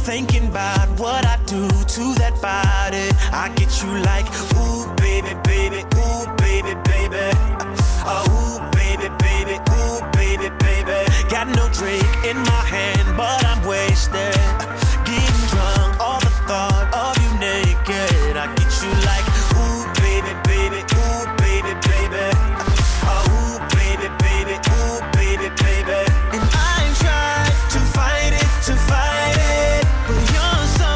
Thinking about what I do to that body. I get you like, ooh, baby, baby, ooh, baby, baby. Oh, ooh, baby, baby, ooh, baby, baby. Got no drink in my hand, but I'm wasted. Getting drunk, all the thought of you naked. I get you like, ooh, baby, baby, ooh, baby, baby. Oh, ooh, baby, baby, ooh, baby, baby. And I ain't tried to fight it, to fight it. But you're so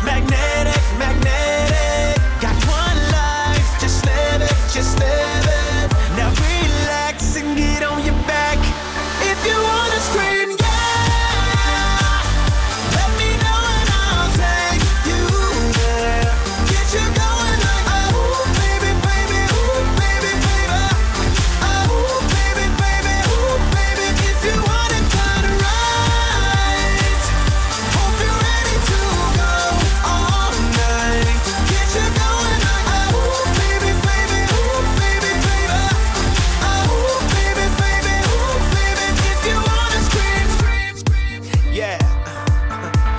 magnetic, magnetic. Got one life, just live it, just live it. Now relax and get on your back. If you wanna scream, yeah, let me know and I'll take you there. Get you going like, oh, baby, baby, ooh, baby, baby. Oh, baby, baby, ooh, baby. If you want it done right, hope you're ready to go all night. Get you going like, oh, baby, baby, ooh, baby, baby. Oh, baby, baby, ooh, baby. If you wanna scream, scream, scream. Yeah.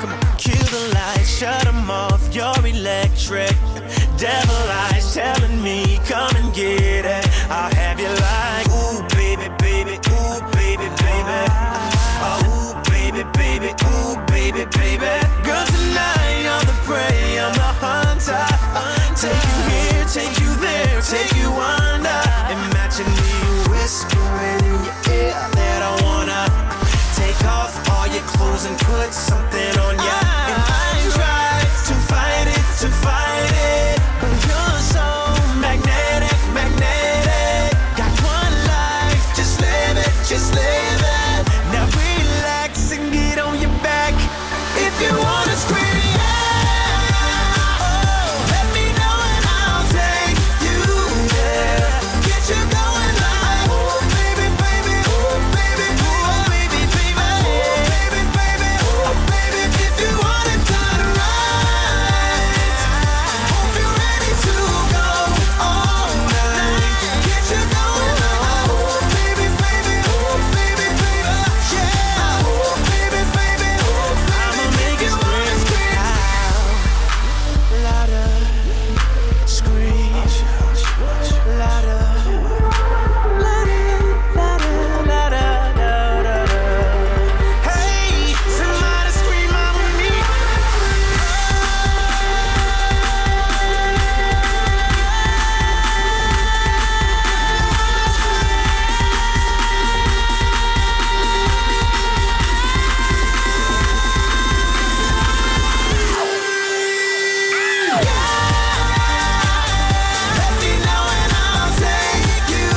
Come on. Kill the lights, shut them off. You're electric. Devil eyes telling me, come and get it. I'll have you like, ooh, baby, baby, ooh, baby, baby. Oh, ooh, baby, baby, ooh, baby, baby. Girl, tonight you're the prey, I'm the hunter. Take you here, take you there, take you under. Imagine me whispering in your ear that I wanna take off all your clothes and put something on ya. And I ain't tried to fight it, to fight it. But you're so magnetic, magnetic. Got one life, just live it, just live it. Now relax and get on your back. If you wanna scream, yeah, oh, let me know and I'll take you there. Get you going like, oh, baby, baby, oh, baby, oh, baby, baby, oh, baby, baby, oh, baby. If you want it done right, hope you're ready to go all night. Get you going like, oh, baby, baby, oh, baby, baby, yeah, oh, baby, baby, oh, baby. I'ma make it scream out, louder, scream louder, louder, louder, louder, louder. Hey, somebody scream out with me. Let me know and I'll take you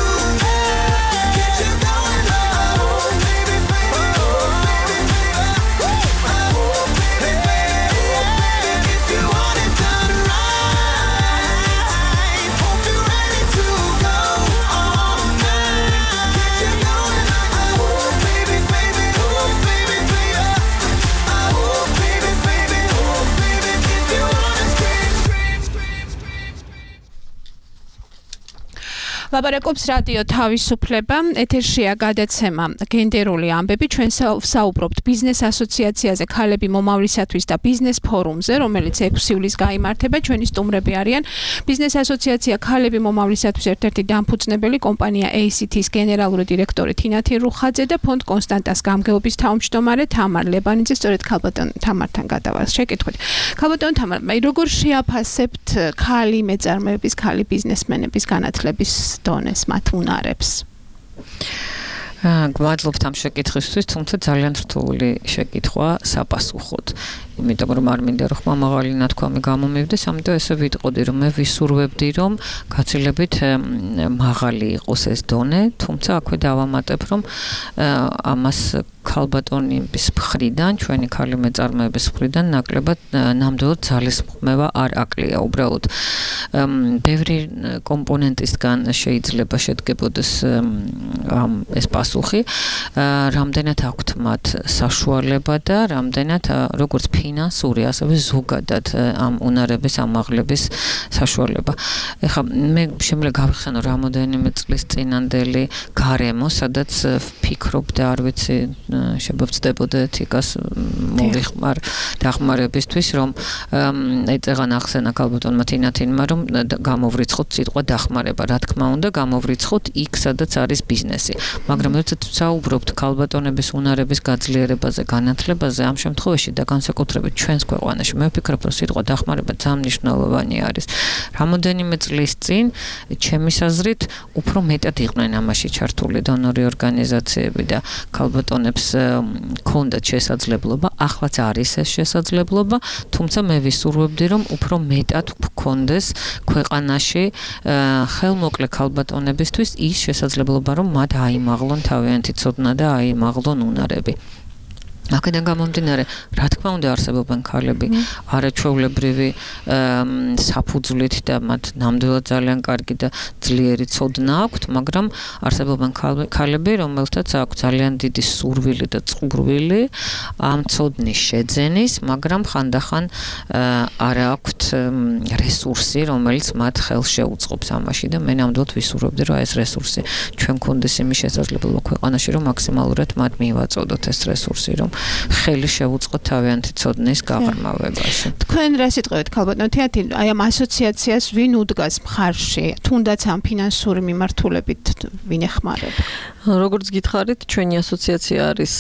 there. Get you going like, oh, baby, baby, oh, baby, baby. Oh, baby, baby, oh, baby. If you want it done right, hope you're ready to go all night. Get you going like, oh, baby, baby, oh, baby, baby. Oh, baby, baby, oh, baby. If you wanna scream, scream, scream, scream. ლაპარაკობს რადიო თავისუფლება, ეთერშია გადაცემა გენდერული ამბები. ჩვენ სა- საუბრობთ ბიზნეს ასოციაციაზე ქალები მომავლისათვის და ბიზნეს ფორუმზე, რომელიც ექვსი ივლისს გაიმართება. ჩვენი სტუმრები არიან ბიზნეს ასოციაცია ქალები მომავლისათვის ერთ-ერთი დამფუძნებელი კომპანია ეი სი თის გენერალური დირექტორი თინათი რუხაძე და ფონდ კონსტანტას გამგეობის თავმჯდომარე თამარ ლებანიძე. სწორედ ქალბატონ თამართან გადავარს შეკითხვით. ქალბატონ თამარ, მე როგორ შეაფასებთ ქალი მეწარმეების, ქალი ბიზნესმენების განათლების დონეს, მათ უნარებს? გვაძლობთ ამ შეკითხვისთვის, თუმცა ძალიან რთული შეკითხვა საპასუხოდ. იმიტომ რომ არ მინდა რომ ხმამაღალი ნათქვამი გამომივიდეს, ამიტომ ესე ვიტყოდი რომ მე ვისურვებდი რომ გაცილებით მაღალი იყოს ეს დონე, თუმცა აქვე დავამატებ რომ ამას ქალბატონების მხრიდან, ჩვენი ქალი მეწარმეების მხრიდან ნაკლებად ნამდვილად ძალისხმევა არ აკლია. უბრალოდ ბევრი კომპონენტისგან შეიძლება შედგებოდეს ეს პასუხი, რამდენად აქვთ მათ საშუალება და რამდენად როგორც ფინანსური, ასევე ზოგადად ამ უნარების ამაღლების საშუალება. ეხლა მე შემიძლია გავიხსენო რამოდენიმე წლის წინანდელი გარემო, სადაც ვფიქრობ და არ ვიცი შევწდებოდა ეთიკას მოვიხმარ დახმარებისთვის, რომ ეწეღან ახსენა ქალბატონმა თინათინმა, რომ გამოვრიცხოთ სიტყვა დახმარება. რა თქმა უნდა, გამოვრიცხოთ იქ, სადაც არის ბიზნესი. მაგრამ როდესაც ვსაუბრობთ ქალბატონების უნარების გაძლიერებაზე, განათლებაზე, ამ შემთხვევაში და განსაკუთრებით ჩვენს ქვეყანაში, მე ვფიქრობ, რომ სიტყვა დახმარება ძალიან მნიშვნელოვანი არის. რამოდენიმე წლის წინ, ჩემის აზრით, უფრო მეტად იყვნენ ამაში ჩართული დონორი ორგანიზაციები და ქალბატონებს ქონდათ შესაძლებლობა, ახლაც არის ეს შესაძლებლობა, თუმცა მე ვისურვებდი, რომ უფრო მეტად გქონდეს ქვეყანაში ხელმოკლე ქალბატონებისთვის ის შესაძლებლობა, რომ მათ აიმაღლონ თავიანთი ცოდნა და აიმაღლონ უნარები. აქედან გამომდინარე, რა თქმა უნდა არსებობენ ქალები არაჩვეულებრივი საფუძვლით და მათ ნამდვილად ძალიან კარგი და ძლიერი ცოდნა აქვთ, მაგრამ არსებობენ ქალები, რომელთაც აქვს ძალიან დიდი სურვილი და წყურვილი ამ ცოდნის შეძენის, მაგრამ ხანდახან არ აქვთ რესურსი, რომელიც მათ ხელს შეუწყობს ამაში და მე ნამდვილად ვისურვებდი, რომ ეს რესურსი ჩვენ გქონდეს იმის შესაძლებლობა ქვეყანაში, რომ მაქსიმალურად მათ მივაწოდოთ ეს რესურსი, რომ ხელი შეუწყოთ თავიანთი ცოდნის გაღრმავებაში. თქვენ რა სიტყვით ქალბატონო თეატრი, აი ამ ასოციაციას ვინ უდგას მხარში, თუნდაც ამ ფინანსური მიმართულებით ვინ ეხმარება? როგორც გითხარით, ჩვენი ასოციაცია არის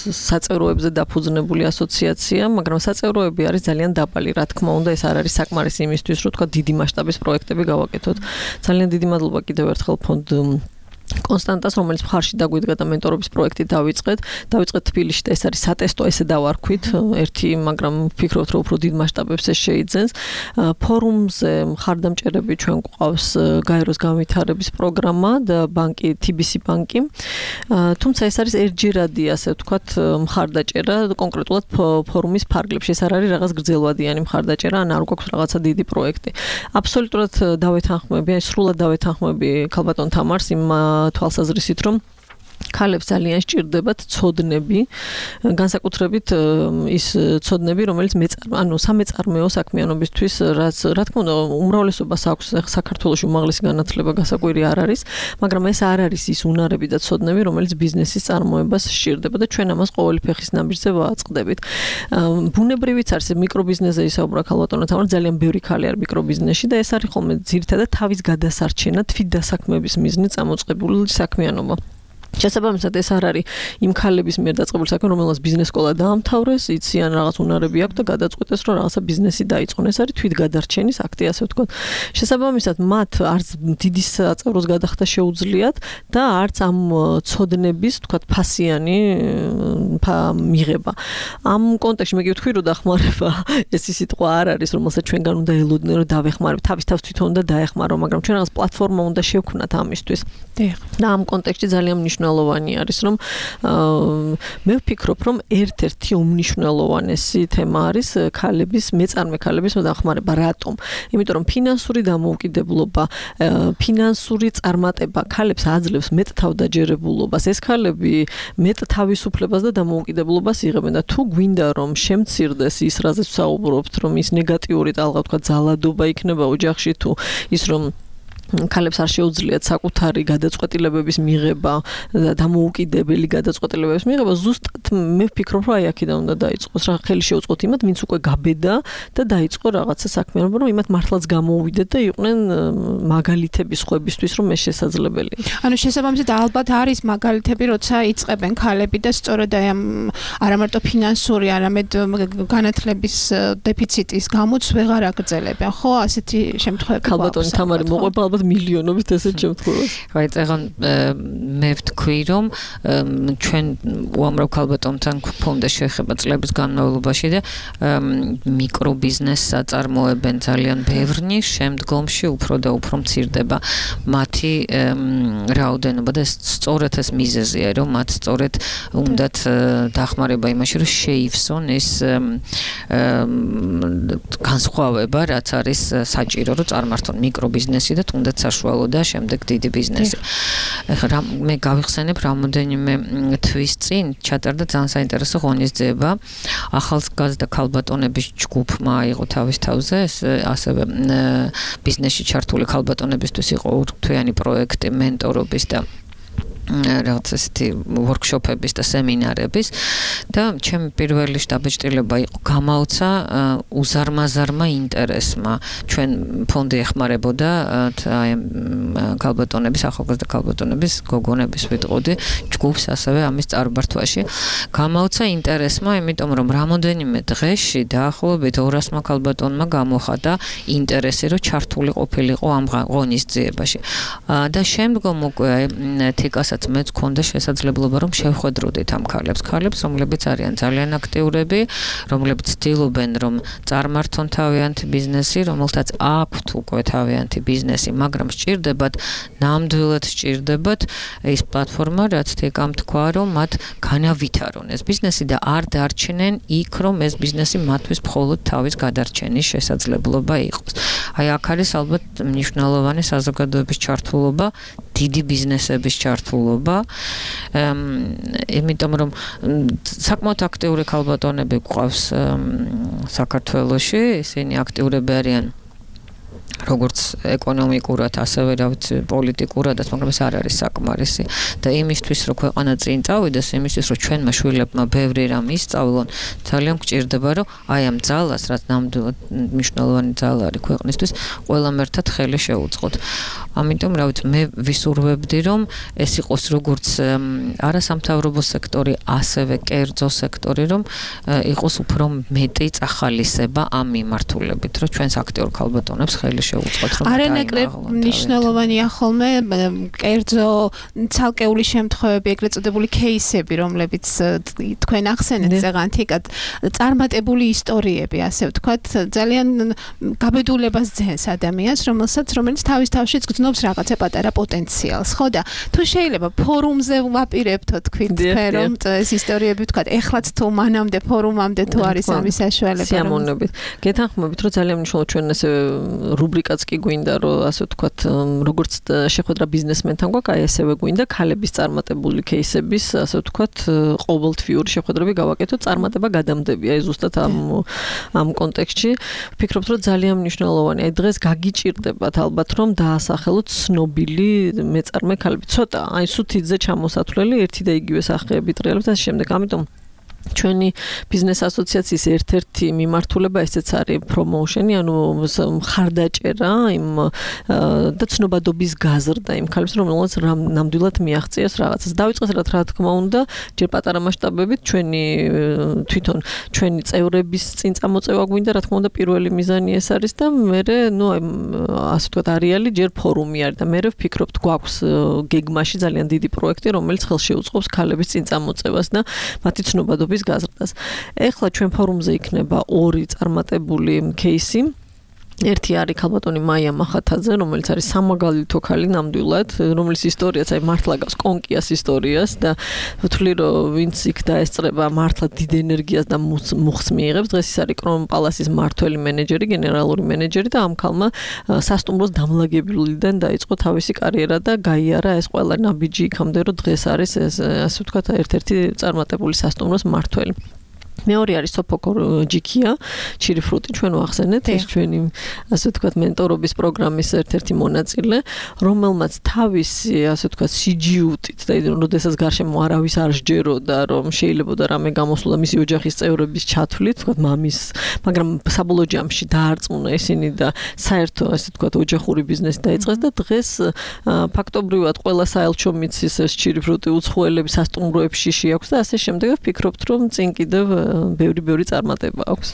საწევროებზე დაფუძნებული ასოციაცია, მაგრამ საწევროები არის ძალიან დაბალი, რა თქმა უნდა, ეს არ არის საკმარისი იმისთვის, რომ თქვა დიდი მასშტაბის პროექტები გავაკეთოთ. ძალიან დიდი მადლობა კიდევ ერთხელ ფონდ კონსტანტას, რომელიც მხარში დაგვიდგა და მენტორობის პროექტი დავიწყეთ. დავიწყეთ თბილისში და ეს არის სატესტო, ესე დავარქვით. ერთი, მაგრამ ვფიქრობთ, რომ უფრო დიდ მასშტაბებს ეს შეიძენს. ფორუმზე მხარდამჭერები ჩვენ გვყავს გაეროს განვითარების პროგრამა და ბანკი თი ბი სი ბანკი. თუმცა ეს არის ერთჯერადი, ასე ვთქვათ, მხარდაჭერა კონკრეტულად ფორუმის ფარგლებში. ეს არ არის რაღაც გრძელვადიანი მხარდაჭერა, ან არ გვაქვს რაღაცა დიდი პროექტი. აბსოლუტურად დავეთანხმები, აი სრულად დავეთანხმები ქალბატონ თამარს იმ თვალსაზრისით, რომ ქალებს ძალიან სჭირდებათ ცოდნები, განსაკუთრებით ის ცოდნები, რომელიც ანუ სამეწარმეო საქმიანობისთვის, რაც რა თქმა უნდა უმრავლესობას აქვს საქართველოში უმაღლესი განათლება გასაკვირი არ არის, მაგრამ ეს არ არის ის უნარები და ცოდნები, რომელიც ბიზნესის წარმოებას სჭირდება და ჩვენ ამას ყოველი ფეხის ნაბიჯზე ვაწყდებით. ბუნებრივიც არის მიკრობიზნესზე ისაუბრა ქალბატონო თამარ, ძალიან ბევრი ქალი არის მიკრობიზნესში და ეს არის ხოლმე ძირითადად თავის გადასარჩენა, თვითდასაქმების მიზნით წამოწყებული საქმიანობა. შესაბამისად ეს არ არის იმ ქალების მიერ დაწყებული საქმე, რომელსაც ბიზნეს სკოლა დაამთავრეს, იციან რაღაც უნარები აქვს და გადაწყვეტეს, რომ რაღაცა ბიზნესი დაიწყონ. ეს არის თვითგადარჩენის აქტი, ასე ვთქვათ. შესაბამისად მათ არც დიდი საწევროს გადახდა შეუძლიათ და არც ამ ცოდნების, ვთქვათ, ფასიანი მიღება. ამ კონტექსტში მე გითხრი, რომ დახმარება ეს სიტყვა არ არის, რომელსაც ჩვენგან უნდა ელოდნენ, რომ დავეხმარებ, თავის თავს თვითონ უნდა დაეხმარო, მაგრამ ჩვენ რაღაც პლატფორმა უნდა შევქმნათ ამისთვის. და ამ კონტექსტში ძალიან მნიშვნელოვანი არის, რომ მე ვფიქრობ, რომ ერთ-ერთი უმნიშვნელოვანესი თემა არის ქალების, მეწარმე ქალების დახმარება. რატომ? იმიტომ რომ ფინანსური დამოუკიდებლობა, ფინანსური წარმატება ქალებს აძლევს მეტ თავდაჯერებულობას. ეს ქალები მეტ თავისუფლებას და დამოუკიდებლობას იღებენ და თუ გვინდა რომ შემცირდეს ის, რაზეც ვსაუბრობთ, რომ ის ნეგატიური ტალღა, თქვა ძალადობა იქნება ოჯახში, თუ ის რომ ქალებს არ შეუძლიათ საკუთარი გადაწყვეტილებების მიღება და დამოუკიდებელი გადაწყვეტილებების მიღება, ზუსტად მე ვფიქრობ, რომ აი აქედან უნდა დაიწყოს, რა ხელი შეუწყოთ იმათ, ვინც უკვე გაბედა და დაიწყო რაღაცა საქმიანობა, რომ იმათ მართლაც გამოუვიდეთ და იყვნენ მაგალითები სხვებისთვის, რომ ეს შესაძლებელია. ანუ შესაბამისად ალბათ არის მაგალითები, როცა იწყებენ ქალები და სწორედ აი ამ არა მარტო ფინანსური, არამედ განათლების დეფიციტის გამოც ვეღარ აგრძელებენ, ხო, ასეთი შემთხვევები. ქალბატონი თამარი მოყვება, ალბათ მილიონობით ესეთ შემთხვევას. აი წეგან მე ვთქვი რომ ჩვენ უამრავ ქალბატონთან გვქონდა შეხება წლების განმავლობაში და მიკრობიზნესს აწარმოებენ ძალიან ბევრნი, შემდგომში უფრო და უფრო მცირდება მათი რაოდენობა და სწორედ ეს მიზეზია, რომ მათ სწორედ უნდათ დახმარება იმაში, რომ შეივსონ ეს განსხვავება, რაც არის საჭირო, რომ წარმართონ მიკრობიზნესი და თუნდაც საშუალო და შემდეგ დიდი ბიზნესი. ეხლა მე გავიხსენებ რამოდენიმე თვის წინ ჩატარდა ძალიან საინტერესო ღონისძიება. ახალგაზრდა ქალბატონების ჯგუფმა აიღო თავის თავზე ეს ასევე ბიზნესში ჩართული ქალბატონებისთვის იყო ურთვიანი პროექტი მენტორობის და რაღაც ესეთი ვორქშოპების და სემინარების და ჩემი პირველი შტაბეჭდილება იყო გამაუცა უზარმაზარმა ინტერესმა. ჩვენ ფონდი ეხმარებოდა აი ქალბატონების, ახალგაზრდა ქალბატონების, გოგონების ვიტყოდი ჯგუფს ასევე ამის წარბართვაში. გამაუცა ინტერესმა, იმიტომ რომ რამოდენიმე დღეში დაახლოებით ორასმა ქალბატონმა გამოხატა ინტერესი, რომ ჩართული ყოფილიყო ამ ღონისძიებაში. და შემდგომ უკვე თიკას მეც გქონდა შესაძლებლობა რომ შევხვედროდეთ ამ ქალებს, ქალებს, რომლებიც არიან ძალიან აქტიურები, რომლებიც ცდილობენ რომ წარმართონ თავიანთი ბიზნესი, რომელთაც აქვთ უკვე თავიანთი ბიზნესი, მაგრამ სჭირდებათ, ნამდვილად სჭირდებათ ის პლატფორმა, რაც თეკამ თქვა, რომ მათ განავითარონ ეს ბიზნესი და არ დარჩნენ იქ, რომ ეს ბიზნესი მათთვის მხოლოდ თავის გადარჩენის შესაძლებლობა იყოს. აი აქ არის ალბათ მნიშვნელოვანი საზოგადოების ჩართულობა, დიდი ბიზნესების ჩართულობა, იმიტომ რომ საკმაოდ აქტიური ქალბატონები გვყავს საქართველოში, ისინი აქტიურები არიან როგორც ეკონომიკურად, ასევე რა ვიცი, პოლიტიკურადაც, მაგრამ ეს არ არის საკმარისი და იმისთვის, რომ ქვეყანა წინ წავიდეს, იმისთვის, რომ ჩვენმა შვილებმა ბევრი რამ ისწავლონ, ძალიან გვჭირდება, რომ აი ამ ძალას, რაც ნამდვილად მნიშვნელოვანი ძალა არის ქვეყნისთვის, ყველამ ერთად ხელი შევუწყოთ. ამიტომ, რა ვიცი, მე ვისურვებდი, რომ ეს იყოს როგორც არასამთავრობო სექტორი, ასევე კერძო სექტორი, რომ იყოს უფრო მეტი წახალისება ამ მიმართულებით, რომ ჩვენს აქტიურ ქალბატონებს ხელი შევუწყოთ, რომ არანაკლებ მნიშვნელოვანია ხოლმე კერძო ცალკეული შემთხვევები, ეგრეთ წოდებული кейსები, რომლებიც თქვენ ახსენეთ ზეღანთიკად, წარმატებული ისტორიები, ასე ვთქვათ, ძალიან გაბედულებას ძენს ადამიანს, რომელსაც რომელიც თავის თავშიც გრძნობს რაღაცა პატარა პოტენციალს, ხო და თუ შეიძლება ფორუმზე ვაპირებთ, თქვით თქვენ, რომ ეს ისტორიები ვთქვათ, ეხლაც თუ მანამდე ფორუმამდე თუ არის ამის საშუალება. სიამოვნებით. გეთანხმებით, რომ ძალიან მნიშვნელოვანი ჩვენ ესე რუბრიკაც კი გვინდა, რომ ასე ვთქვათ, როგორც შეხვედრა ბიზნესმენთან გვაქვს, აი ესევე გვინდა ქალების წარმატებული кейსების, ასე ვთქვათ, ყოველთვიური შეხვედრები გავაკეთოთ, წარმატება გადამდებია, აი ზუსტად ამ ამ კონტექსტში. ვფიქრობთ, რომ ძალიან მნიშვნელოვანია. აი დღეს გაგიჭირდებათ ალბათ, რომ დაასახელოთ ცნობილი მეწარმე ქალები. ცოტა, აი სუთიძე ჩამოსათვლელი, ერთი და იგივე სახეები ტრიალებთ და ამ შემდეგ. ამიტომ ჩვენი ბიზნეს ასოციაციის ერთ-ერთი მიმართულება ესეც არის პრომოუშენი, ანუ მხარდაჭერა იმ და ცნობადობის გაზრდა იმ ქალებს, რომელსაც ნამდვილად მიაღწიეს რაღაცას. დავიწყეს რა თქმა უნდა, ჯერ პატარა მასშტაბებით ჩვენი თვითონ ჩვენი წევრების წინ წამოწევა გვინდა, რა თქმა უნდა, პირველი მიზანი ეს არის და მე ნუ ასე ვთქვათ, არეალი ჯერ ფორუმი არის და მე ვფიქრობთ, გვაქვს გეგმაში ძალიან დიდი პროექტი, რომელიც ხელში უწყობს ქალების წინ წამოწევას და მათი ცნობადობის გაზრდას. ეხლა ჩვენ ფორუმზე იქნება ორი წარმატებული кейსი. ერთი არის ქალბატონი მაია მახათაძე, რომელიც არის სამაგალითო ქალი ნამდვილად, რომლის ისტორიაც აი მართლა გავს კონკიას ისტორიას და ვთვლი რომ ვინც იქ დაესწრება მართლა დიდ ენერგიას და მუხს მიიღებს. დღეს ის არის კრონპალასის მმართველი მენეჯერი, გენერალური მენეჯერი და ამ ქალმა სასტუმროს დამლაგებულიდან დაიწყო თავისი კარიერა და გაიარა ეს ყველა ნაბიჯი იქამდე, რომ დღეს არის ეს ასე ვთქვათ ერთ-ერთი წარმატებული სასტუმროს მმართველი. მეორე არის სოფოკო ჯიქია, ჩირიფრუტი, ჩვენ ვახსენეთ, ეს ჩვენი ასე ვთქვათ მენტორობის პროგრამის ერთ-ერთი მონაწილე, რომელმაც თავისი ასე ვთქვათ სიჯიუტით და როდესაც გარშემო არავის არ სჯეროდა, რომ შეიძლება და რამე გამოსულა მისი ოჯახის წევრების ჩათვლით, ვთქვათ მამის, მაგრამ საბოლოო ჯამში დაარწმუნა ისინი და საერთო ასე ვთქვათ ოჯახური ბიზნესი დაიწყეს და დღეს ფაქტობრივად ყველა საელჩო მიცის ეს ჩირიფრუტი უცხოელები სასტუმროებში შეაქვს და ასე შემდეგ ვფიქრობთ, რომ წინ კიდევ ბევრი ბევრი წარმატება აქვს.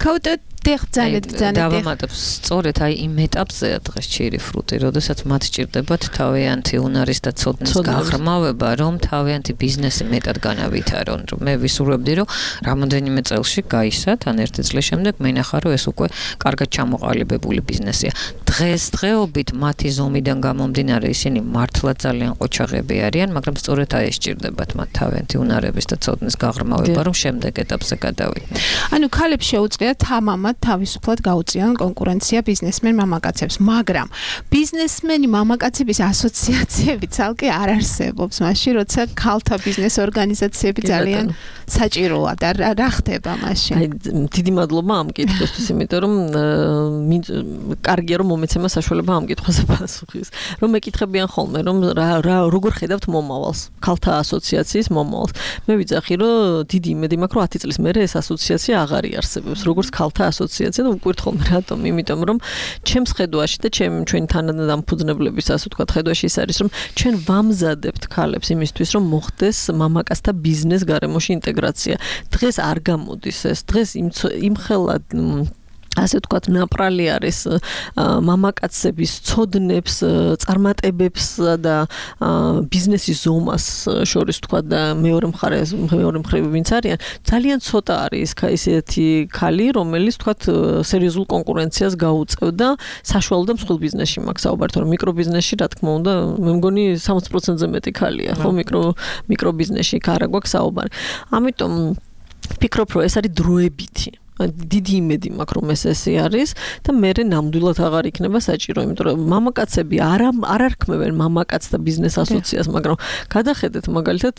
ქაუტა დიახ, ძალიან ძალიან დავამატებ სწორედ აი იმ ეტაპზეა დღეს ჭირი ფრუტი, როდესაც მათ ჭირდებათ თავიანთი უნარის და ცოდნის გაღრმავება, რომ თავიანთი ბიზნესი მეტად განავითარონ. მე ვისურვებდი, რომ რამოდენიმე წელში გაისათ, ან ერთი წლის შემდეგ მე ნახა, რომ ეს უკვე კარგად ჩამოყალიბებული ბიზნესია. დღესდღეობით მათი ზომიდან გამომდინარე ისინი მართლა ძალიან ყოჩაღები არიან, მაგრამ სწორედ აი ეს ჭირდებათ მათ თავიანთი უნარების და ცოდნის გაღრმავება, რომ შემდეგ ეტაპზე გადავიდნენ. ანუ ქალებს შეუძლიათ თამამად თავისუფლად გაუწიონ კონკურენცია ბიზნესმენ მამაკაცებს, მაგრამ ბიზნესმენი მამაკაცების ასოციაციები ცალკე არ არსებობს, მაშინ როცა ქალთა ბიზნეს ორგანიზაციები ძალიან საჭიროა და რა ხდება მაშინ? აი დიდი მადლობა ამ კითხვისთვის, იმიტომ რომ კარგია რომ მომეცემა საშუალება ამ კითხვაზე პასუხის. რომ მეკითხებიან ხოლმე, რომ რა როგორ ხედავთ მომავალს, ქალთა ასოციაციის მომავალს. მე ვიძახი, რომ დიდი იმედი მაქვს, რომ ათი წლის მერე ეს ასოციაცია აღარ იარსებობს, როგორც ქალთა ასოციაცია და უკვირთ ხოლმე რატომ? იმიტომ რომ ჩემს ხედვაში და ჩემ ჩვენი თანადამფუძნებლების ასე ვთქვათ ხედვაში ის არის, რომ ჩვენ ვამზადებთ ქალებს იმისთვის, რომ მოხდეს მამაკაცთა ბიზნეს გარემოში ინტეგრაცია. დღეს არ გამოდის ეს. დღეს იმხელა ასე ვთქვათ ნაპრალი არის მამაკაცების ცოდნებს, წარმატებებს და ბიზნესის ზომას შორის ვთქვათ და მეორე მხარე მეორე მხრივ ვინც არიან, ძალიან ცოტა არის ისეთი ქალი, რომელიც ვთქვათ სერიოზულ კონკურენციას გაუწევდა საშუალო და მსხვილ ბიზნესში მაქვს საუბარი, თორემ მიკრობიზნესში რა თქმა უნდა, მე მგონი სამოცი პროცენტზე მეტი ქალია, ხო, მიკრო მიკრობიზნესში არ გვაქვს საუბარი. ამიტომ ვფიქრობ, რომ ეს არის დროებითი დიდი იმედი მაქვს რომ ეს ესე არის და მე ნამდვილად აღარ იქნება საჭირო, იმიტომ რომ მამაკაცები არ არ არქმევენ მამაკაც და ბიზნეს ასოციაციას, მაგრამ გადახედეთ მაგალითად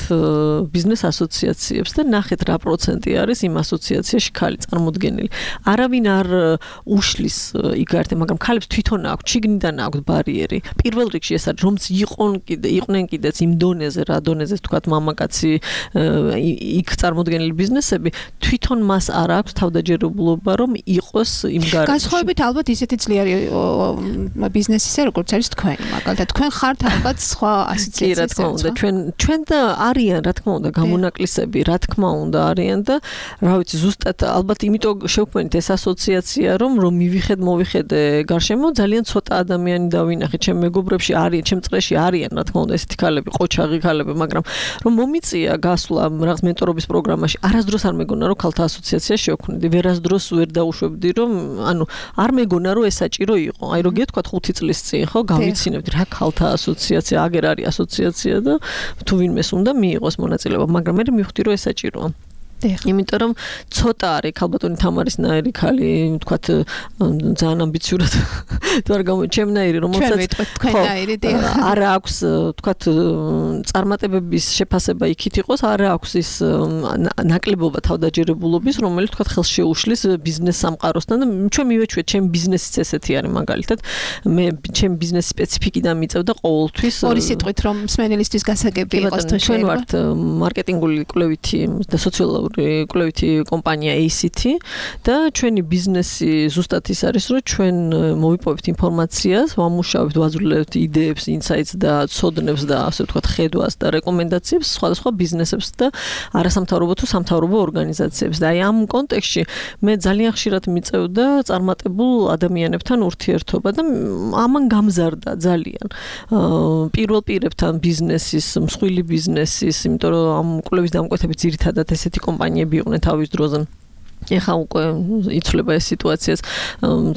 ბიზნეს ასოციაციებს და ნახეთ რა პროცენტი არის იმ ასოციაციაში ქალი წარმოდგენილი. არავინ არ უშლის იქ გართე, მაგრამ ქალებს თვითონ აქვს, შიგნიდან აქვს ბარიერი. პირველ რიგში ეს არის, რომც იყონ კიდე იყვნენ კიდეც იმ დონეზე, რა დონეზე თქვათ მამაკაცი იქ წარმოდგენილი ბიზნესები, თვითონ მას არ აქვს თავდა ჯერებლობა რომ იყოს იმ გარემოში. განსხვავებით ალბათ ისეთი ძლიერი ბიზნესისა, როგორც არის თქვენი, მაგალითად თქვენ ხართ ალბათ სხვა ასოციაციების. რა თქმა უნდა, ჩვენ ჩვენ და არიან, რა თქმა უნდა, გამონაკლისები, რა თქმა უნდა, არიან და რა ვიცი, ზუსტად ალბათ იმიტომ შევქმნით ეს ასოციაცია, რომ რომ მივიხედ, მოვიხედე გარშემო ძალიან ცოტა ადამიანი დავინახე, ჩემ მეგობრებში არიან, ჩემ წრეში არიან, რა თქმა უნდა, ესეთი ქალები, ყოჩაღი ქალები, მაგრამ რომ მომიწია გასვლა რაღაც მენტორობის პროგრამაში, არასდროს არ მეგონა რომ ქალთა ასოციაცია შევქმნიდი. ვერასდროს ვერ დაუშვებდი რომ ანუ არ მეგონა რომ ეს საჭირო იყო. აი რო გეთქვათ ხუთი წლის წინ ხო გავიცინებდი რა ქალთა ასოციაცია, აგერ არის ასოციაცია და თუ ვინმეს უნდა მიიღოს მონაწილეობა, მაგრამ მე მივხვდი რომ ეს საჭიროა. იმიტომ რომ ცოტა არის ქალბატონი თამარის ნაირი ქალი, ვთქვათ ძალიან ამბიციურად თუ არ გამოჩემნაირი, რომელსაც არ აქვს ვთქვათ წარმატებების შეფასება იქით იყოს, არ აქვს ის ნაკლებობა თავდაჯერებულობის, რომელიც ვთქვათ ხელს შეუშლის ბიზნეს სამყაროსთან და ჩვენ მივეჩვეთ, ჩემ ბიზნესიც ესეთი არის მაგალითად, მე ჩემ ბიზნეს სპეციფიკიდან მიწევდა ყოველთვის ორი სიტყვით რომ მსმენელისთვის გასაგები იყოს თუ ჩვენ ვართ მარკეტინგული კვლევითი და სოციალური კვლევითი კომპანია A C T და ჩვენი ბიზნესი ზუსტად ის არის, რომ ჩვენ მოვიპოვებთ ინფორმაციას, ვამუშავებთ, ვაძვლებთ იდეებს, ინსაიტს და ცოდნებს და ასე ვთქვათ ხედვას და რეკომენდაციებს სხვადასხვა ბიზნესებს და არასამთავრობო თუ სამთავრობო ორგანიზაციებს. და აი ამ კონტექსტში მე ძალიან ხშირად მიწევდა წარმატებულ ადამიანებთან ურთიერთობა და ამან გამზარდა ძალიან პირველ პირებთან ბიზნესის, მსხვილი ბიზნესის, იმიტომ რომ ამ კვლევის დამკვეთებით ძირითადად ესეთი კომპანიები იყვნენ თავის დროზე. ეხა უკვე იცვლება ეს სიტუაციაც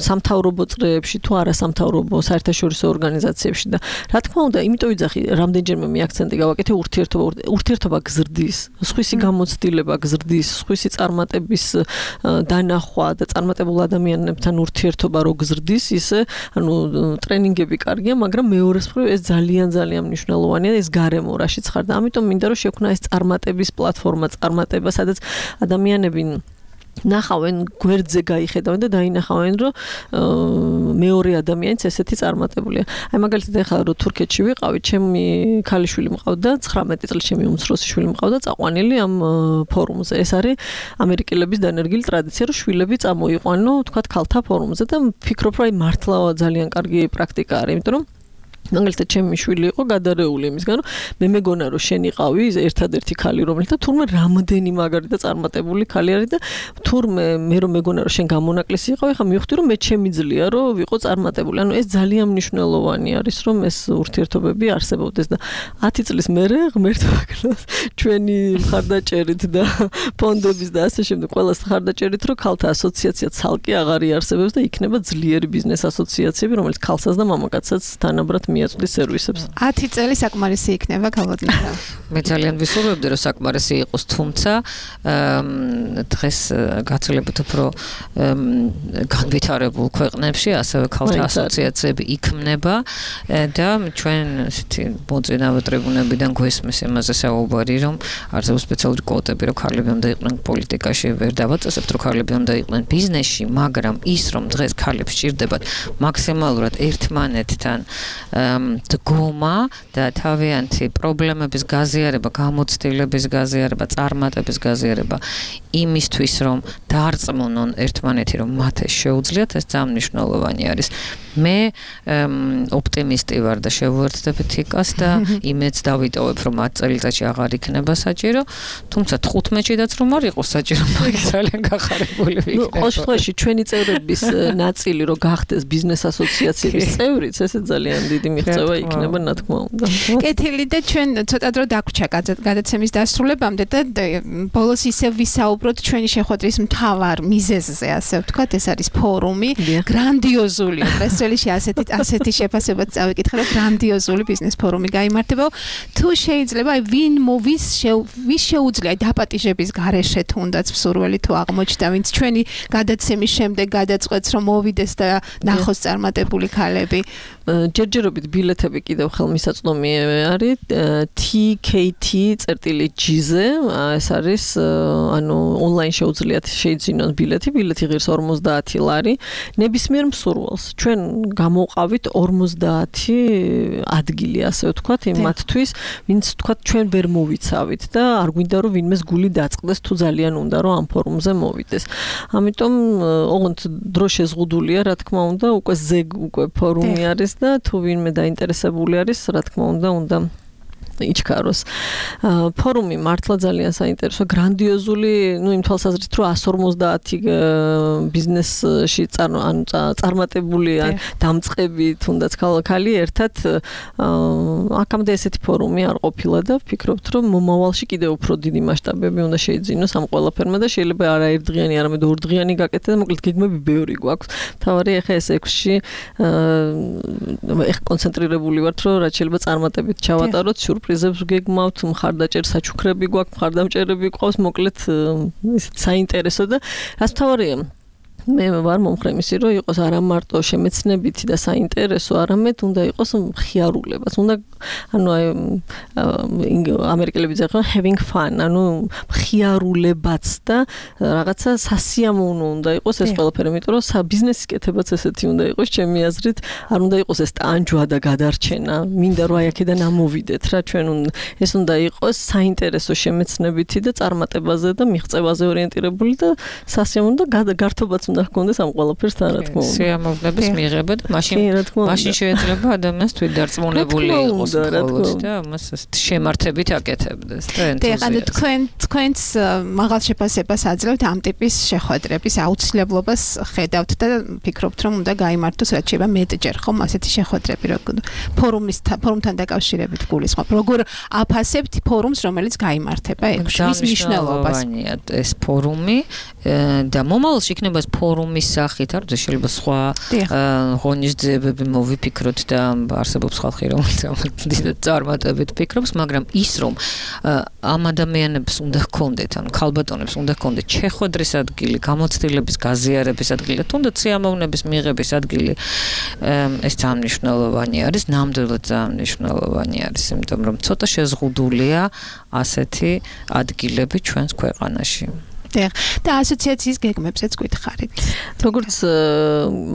სამთავრობო წრეებში თუ არასამთავრობო საერთაშორისო ორგანიზაციებში და რა თქმა უნდა, იმიტომ ვიძახი, რამდენჯერმე მე აქცენტი გავაკეთე ურთიერთობა, ურთიერთობა გზრდის, სხვისი გამოცდილება გზრდის, სხვისი წარმატების დანახვა და წარმატებულ ადამიანებთან ურთიერთობა რო გზრდის, ისე ანუ ტრენინგები კარგია, მაგრამ მეორეს მხრივ ეს ძალიან ძალიან მნიშვნელოვანია, ეს გარემო რაშიც ხარ და ამიტომ მინდა რომ შექმნა ეს წარმატების პლატფორმა, წარმატება, სადაც ადამიანები ნახავენ გვერდზე გაიხედავენ და დაინახავენ რომ მეორე ადამიანიც ესეთი წარმატებულია. აი მაგალითად ეხლა რომ თურქეთში ვიყავი, ჩემი ქალიშვილი მყავდა, ცხრამეტი წლის ჩემი უმცროსი შვილი მყავდა წაყვანილი ამ ფორუმზე. ეს არის ამერიკელების დანერგილი ტრადიცია, რომ შვილები წამოიყვანო, თქვათ ქალთა ფორუმზე და ვფიქრობ, რომ აი მართლა ძალიან კარგი პრაქტიკა არის, იმიტომ რომ მაგალითად ჩემი შვილი იყო გადარეული იმისგან რომ მე მეგონა რომ შენ იყავი ერთადერთი ქალი რომელიც და თურმე რამდენი მაგარი და წარმატებული ქალი არის და თურმე მე რომ მეგონა რომ შენ გამონაკლისი იყავი ხა მივხვდი რომ მე ჩემი ძლია რომ ვიყო წარმატებული ანუ ეს ძალიან მნიშვნელოვანი არის რომ ეს ურთიერთობები არსებობდეს და ათი წლის მერე ღმერთო აკრავს ჩვენი მხარდაჭერით და ფონდების და ასე შემდეგ ყველას მხარდაჭერით რომ ქალთა ასოციაცია ცალკე აღარ იარსებებს და იქნება ძლიერი ბიზნეს ასოციაციები რომელიც ქალსაც და მამაკაცსაც თანაბრად მიაწვდის სერვისებს. ათი წელი საკმარისი იქნება ქალბატონთა. მე ძალიან ვისურვებდი რომ საკმარისი იყოს, თუმცა დღეს გაცილებით უფრო განვითარებულ ქვეყნებში ასევე ქალთა ასოციაციები იქმნება და ჩვენ ისეთი მოწინავე ტრიბუნებიდან გვესმის იმაზე საუბარი რომ არსებობს სპეციალური კვოტები რომ ქალები უნდა იყვნენ პოლიტიკაში ვერ დავაწესებთ რომ ქალები უნდა იყვნენ ბიზნესში, მაგრამ ის რომ დღეს ქალებს სჭირდებათ მაქსიმალურად ერთმანეთთან დგომა და თავიანთი პრობლემების გაზიარება, გამოცდილების გაზიარება, წარმატების გაზიარება იმისთვის რომ დაარწმუნონ ერთმანეთი რომ მათ ეს შეუძლიათ, ეს ძალიან მნიშვნელოვანი არის. მე ოპტიმისტი ვარ და შევუერთდებით იკას და იმედს დავიტოვებ რომ ათ წელიწადში აღარ იქნება საჭირო, თუმცა თხუთმეტშიდაც რომ არ იყოს საჭირო, მაგ ძალიან გახარებული ვიქნები. ნუ ყოველ შემთხვევაში ჩვენი წევრების ნაწილი რომ გახდეს ბიზნეს ასოციაციების წევრიც, ესე ძალიან დიდი მიღწევა იქნება, რა თქმა უნდა. კეთილი და ჩვენ ცოტა დრო დაგვრჩა გადაცემის დასრულებამდე და ბოლოს ისევ ვისაუბროთ ჩვენი შეხვედრის მთავარ მიზეზზე, ასე ვთქვათ, ეს არის ფორუმი, გრანდიოზული პრესრელისში ასეთი ასეთი შეფასებაც წავიკითხე, რომ გრანდიოზული ბიზნეს ფორუმი გაიმართება. თუ შეიძლება ვინ მოვის ვის შეუძლია დაპატიჟების გარეშე თუნდაც მსურველი თუ აღმოჩნდა, ვინც ჩვენი გადაცემის შემდეგ გადაწყვეტს რომ მოვიდეს და ნახოს წარმატებული ქალები. ჯერჯერობით ბილეთები კიდევ ხელმისაწვდომი არის T K T.G-ზე, ეს არის ანუ ონლაინ შეუძლიათ შეიძინონ ბილეთი, ბილეთი ღირს ორმოცდაათი ლარი. ნებისმიერ მსურველს ჩვენ გამოვყავით ორმოცდაათი ადგილი, ასე ვთქვათ, იმათთვის, ვინც ვთქვათ ჩვენ ვერ მოვიცავით და არ გვინდა რომ ვინმეს გული დაწყდეს თუ ძალიან უნდა რომ ამ ფორუმზე მოვიდეს. ამიტომ ოღონდ დრო შეზღუდულია, რა თქმა უნდა, უკვე ზეგ უკვე ფორუმი არის და თუ ვინმე დაინტერესებული არის, რა თქმა უნდა, უნდა იჩქაროს. ფორუმი მართლა ძალიან საინტერესო, გრანდიოზული, ну იმ თვალსაზრისით, რომ εκατს ორმოცდაათი ბიზნესში ანუ წარმატებული დამწყები თუნდაც ქალი ერთად აქამდე ესეთი ფორუმი არ ყოფილა და ვფიქრობთ, რომ მომავალში კიდევ უფრო დიდი მასშტაბები უნდა შეიძინოს ამ ყველაფერმა და შეიძლება არა ერთდღიანი, არამედ ორდღიანი გაკეთდეს და მოკლედ გეგმები ბევრი გვაქვს. თავარი ახლა ეს ექვსში ახლა კონცენტრირებული ვართ, რომ რაც შეიძლება წარმატებით ჩავატაროთ, სიურპრიზებს გეგმავთ, მხარდაჭერ საჩუქრები გვაქვს, მხარდამჭერები გვყავს, მოკლედ ისეთ საინტერესო და რაც თავარია მე ვარ მომხრე იმისი, რომ იყოს არა მარტო შემეცნებითი და საინტერესო, არამედ უნდა იყოს მხიარულებაც. უნდა ანუ აი ამერიკელები წერენ having fun, ანუ მხიარულებაც და რაღაცა სასიამოვნო უნდა იყოს ეს ყველაფერი, იმიტომ რომ ბიზნესის კეთებაც ესეთი უნდა იყოს, ჩემი აზრით, არ უნდა იყოს ეს ტანჯვა და გადარჩენა. მინდა რომ აი აქედან ამოვიდეთ რა, ჩვენ ეს უნდა იყოს საინტერესო შემეცნებითი და წარმატებაზე და მიღწევაზე ორიენტირებული და სასიამოვნო და გართობაც უნდა ჰქონდეს ამ ყველაფერს თან, რა თქმა უნდა. სიამოვნების მიღება და მაშინ მაშინ შეიძლება ადამიანს თვითდარწმუნებული იყოს მხოლოდ და მას შემართებით აკეთებდეს და ენთუზიაზმი. თქვენ თქვენს მაღალ შეფასებას აძლევთ ამ ტიპის შეხვედრების აუცილებლობას ხედავთ და ფიქრობთ, რომ უნდა გაიმართოს რაც შეიძლება მეტჯერ ხომ ასეთი შეხვედრები, როგორ ფორუმის ფორუმთან დაკავშირებით გულისხმობ. როგორ აფასებთ ფორუმს, რომელიც გაიმართება ექვსში, მის მნიშვნელობას? ეს ფორუმი და მომავალში იქნება ეს ფორუმის სახით, არ შეიძლება სხვა ღონისძიებები მოვიფიქროთ და არსებობს ხალხი, რომელიც დიდ წარმატებით ფიქრობს, მაგრამ ის რომ ამ ადამიანებს უნდა ჰქონდეთ, ანუ ქალბატონებს უნდა ჰქონდეთ შეხვედრის ადგილი, გამოცდილების გაზიარების ადგილი და თუნდაც სიამოვნების მიღების ადგილი, ეს ძალიან მნიშვნელოვანი არის, ნამდვილად ძალიან მნიშვნელოვანი არის, იმიტომ რომ ცოტა შეზღუდულია ასეთი ადგილები ჩვენს ქვეყანაში. და ასოციაციის გეგმებზეც გითხარით. როგორც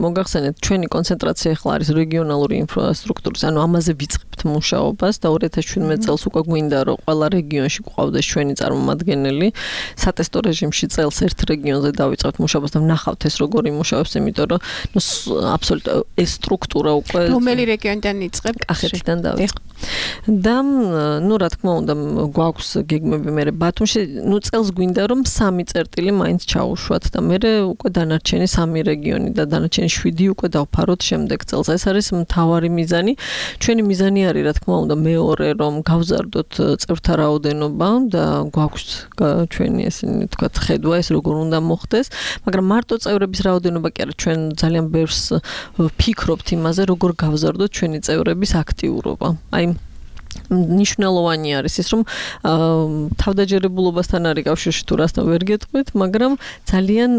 მოგახსენეთ, ჩვენი კონცენტრაცია ახლა არის რეგიონალური ინფრასტრუქტურის, ანუ ამაზე ვიწყებთ მუშაობას და ორი ათას შვიდმეტ წელს უკვე გვინდა რომ ყველა რეგიონში გვყავდეს ჩვენი წარმომადგენელი. სატესტო რეჟიმში წელს ერთ რეგიონზე დავიწყებთ მუშაობას და ვნახავთ ეს როგორ იმუშავებს, იმიტომ რომ ნუ აბსოლუტურად ეს სტრუქტურა უკვე რომელი რეგიონიდან იწყებ? კახეთიდან დავიწყებ. და ნუ რა თქმა უნდა გვაქვს გეგმები მე ბათუმში ნუ წელს გვინდა რომ სამი წერტილი მაინც ჩაუშვათ და მე უკვე დანარჩენი სამი რეგიონი და დანარჩენი შვიდი უკვე დავფაროთ შემდეგ წელს. ეს არის მთავარი მიზანი. ჩვენი მიზანი არის რა თქმა უნდა მეორე რომ გავზარდოთ წევრთა რაოდენობა და გვაქვს ჩვენი ესენი თქვა ხედვა ეს როგორ უნდა მოხდეს, მაგრამ მარტო წევრების რაოდენობა კი არა, ჩვენ ძალიან ბევრს ვფიქრობთ იმაზე როგორ გავზარდოთ ჩვენი წევრების აქტიურობა. აი ნიშნულოვანი არის ის რომ თავდაჯერებულობასთან არის კავშირში თუ რასთან ვერ გეტყვით, მაგრამ ძალიან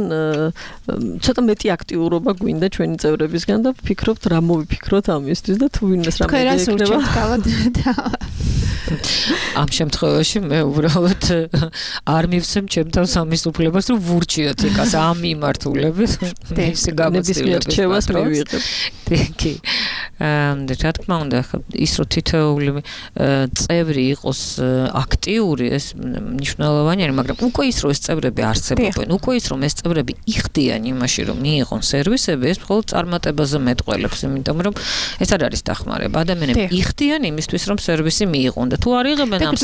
ცოტა მეტი აქტიურობა გვინდა ჩვენი წევრებისგან და ვფიქრობთ რა მოვიფიქროთ ამისთვის და თუ ვინმეს რამე ექნება. ამ შემთხვევაში მე უბრალოდ არ მივცემ ჩემთან სამის უფლებას რომ ვურჩიოთ ეკას ამ მიმართულებით ეს გამოცდილების რჩევას მივიღებ. კი. რა თქმა უნდა ის რომ თითოეული წევრი იყოს აქტიური ეს მნიშვნელოვანი არის, მაგრამ უკვე ის რომ ეს წევრები არსებობენ, უკვე ის რომ ეს წევრები იხდიან იმაში რომ მიიღონ სერვისები, ეს მხოლოდ წარმატებაზე მეტყველებს, იმიტომ რომ ეს არ არის დახმარება. ადამიანები იხდიან იმისთვის რომ სერვისი მიიღონ და თუ არ იღებენ ამ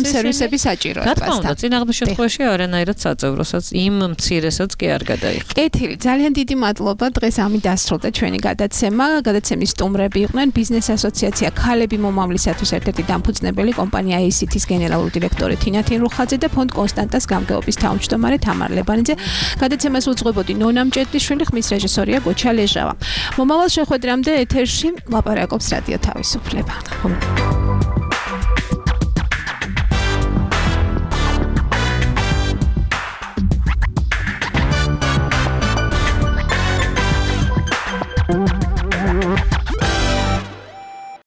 სერვისების საჭიროებას. რა თქმა უნდა, წინააღმდეგ შემთხვევაში არანაირად საწევროსაც იმ მცირესაც კი არ გადაიხდა. კეთილი, ძალიან დიდი მადლობა. დღეს ამით დასრულდა ჩვენი გადაცემა. გადაცემის სტუმრები იყვნენ ბიზნეს ასოციაცია ქალები მომავლისათვის ერთ-ერთი დამფუძნებელი კომპანია ეი სი თის გენერალური დირექტორი თინა თინრუხაძე და ფონდ კონსტანტას გამგეობის თავმჯდომარე თამარ ლებანიძე. გადაცემას უძღვებოდი ნონა მჭედლიშვილი, ხმის რეჟისორია გოჩა ლეჟავა. მომავალ შეხვედრამდე ეთერში ლაპარაკობს რადიო თავისუფლება.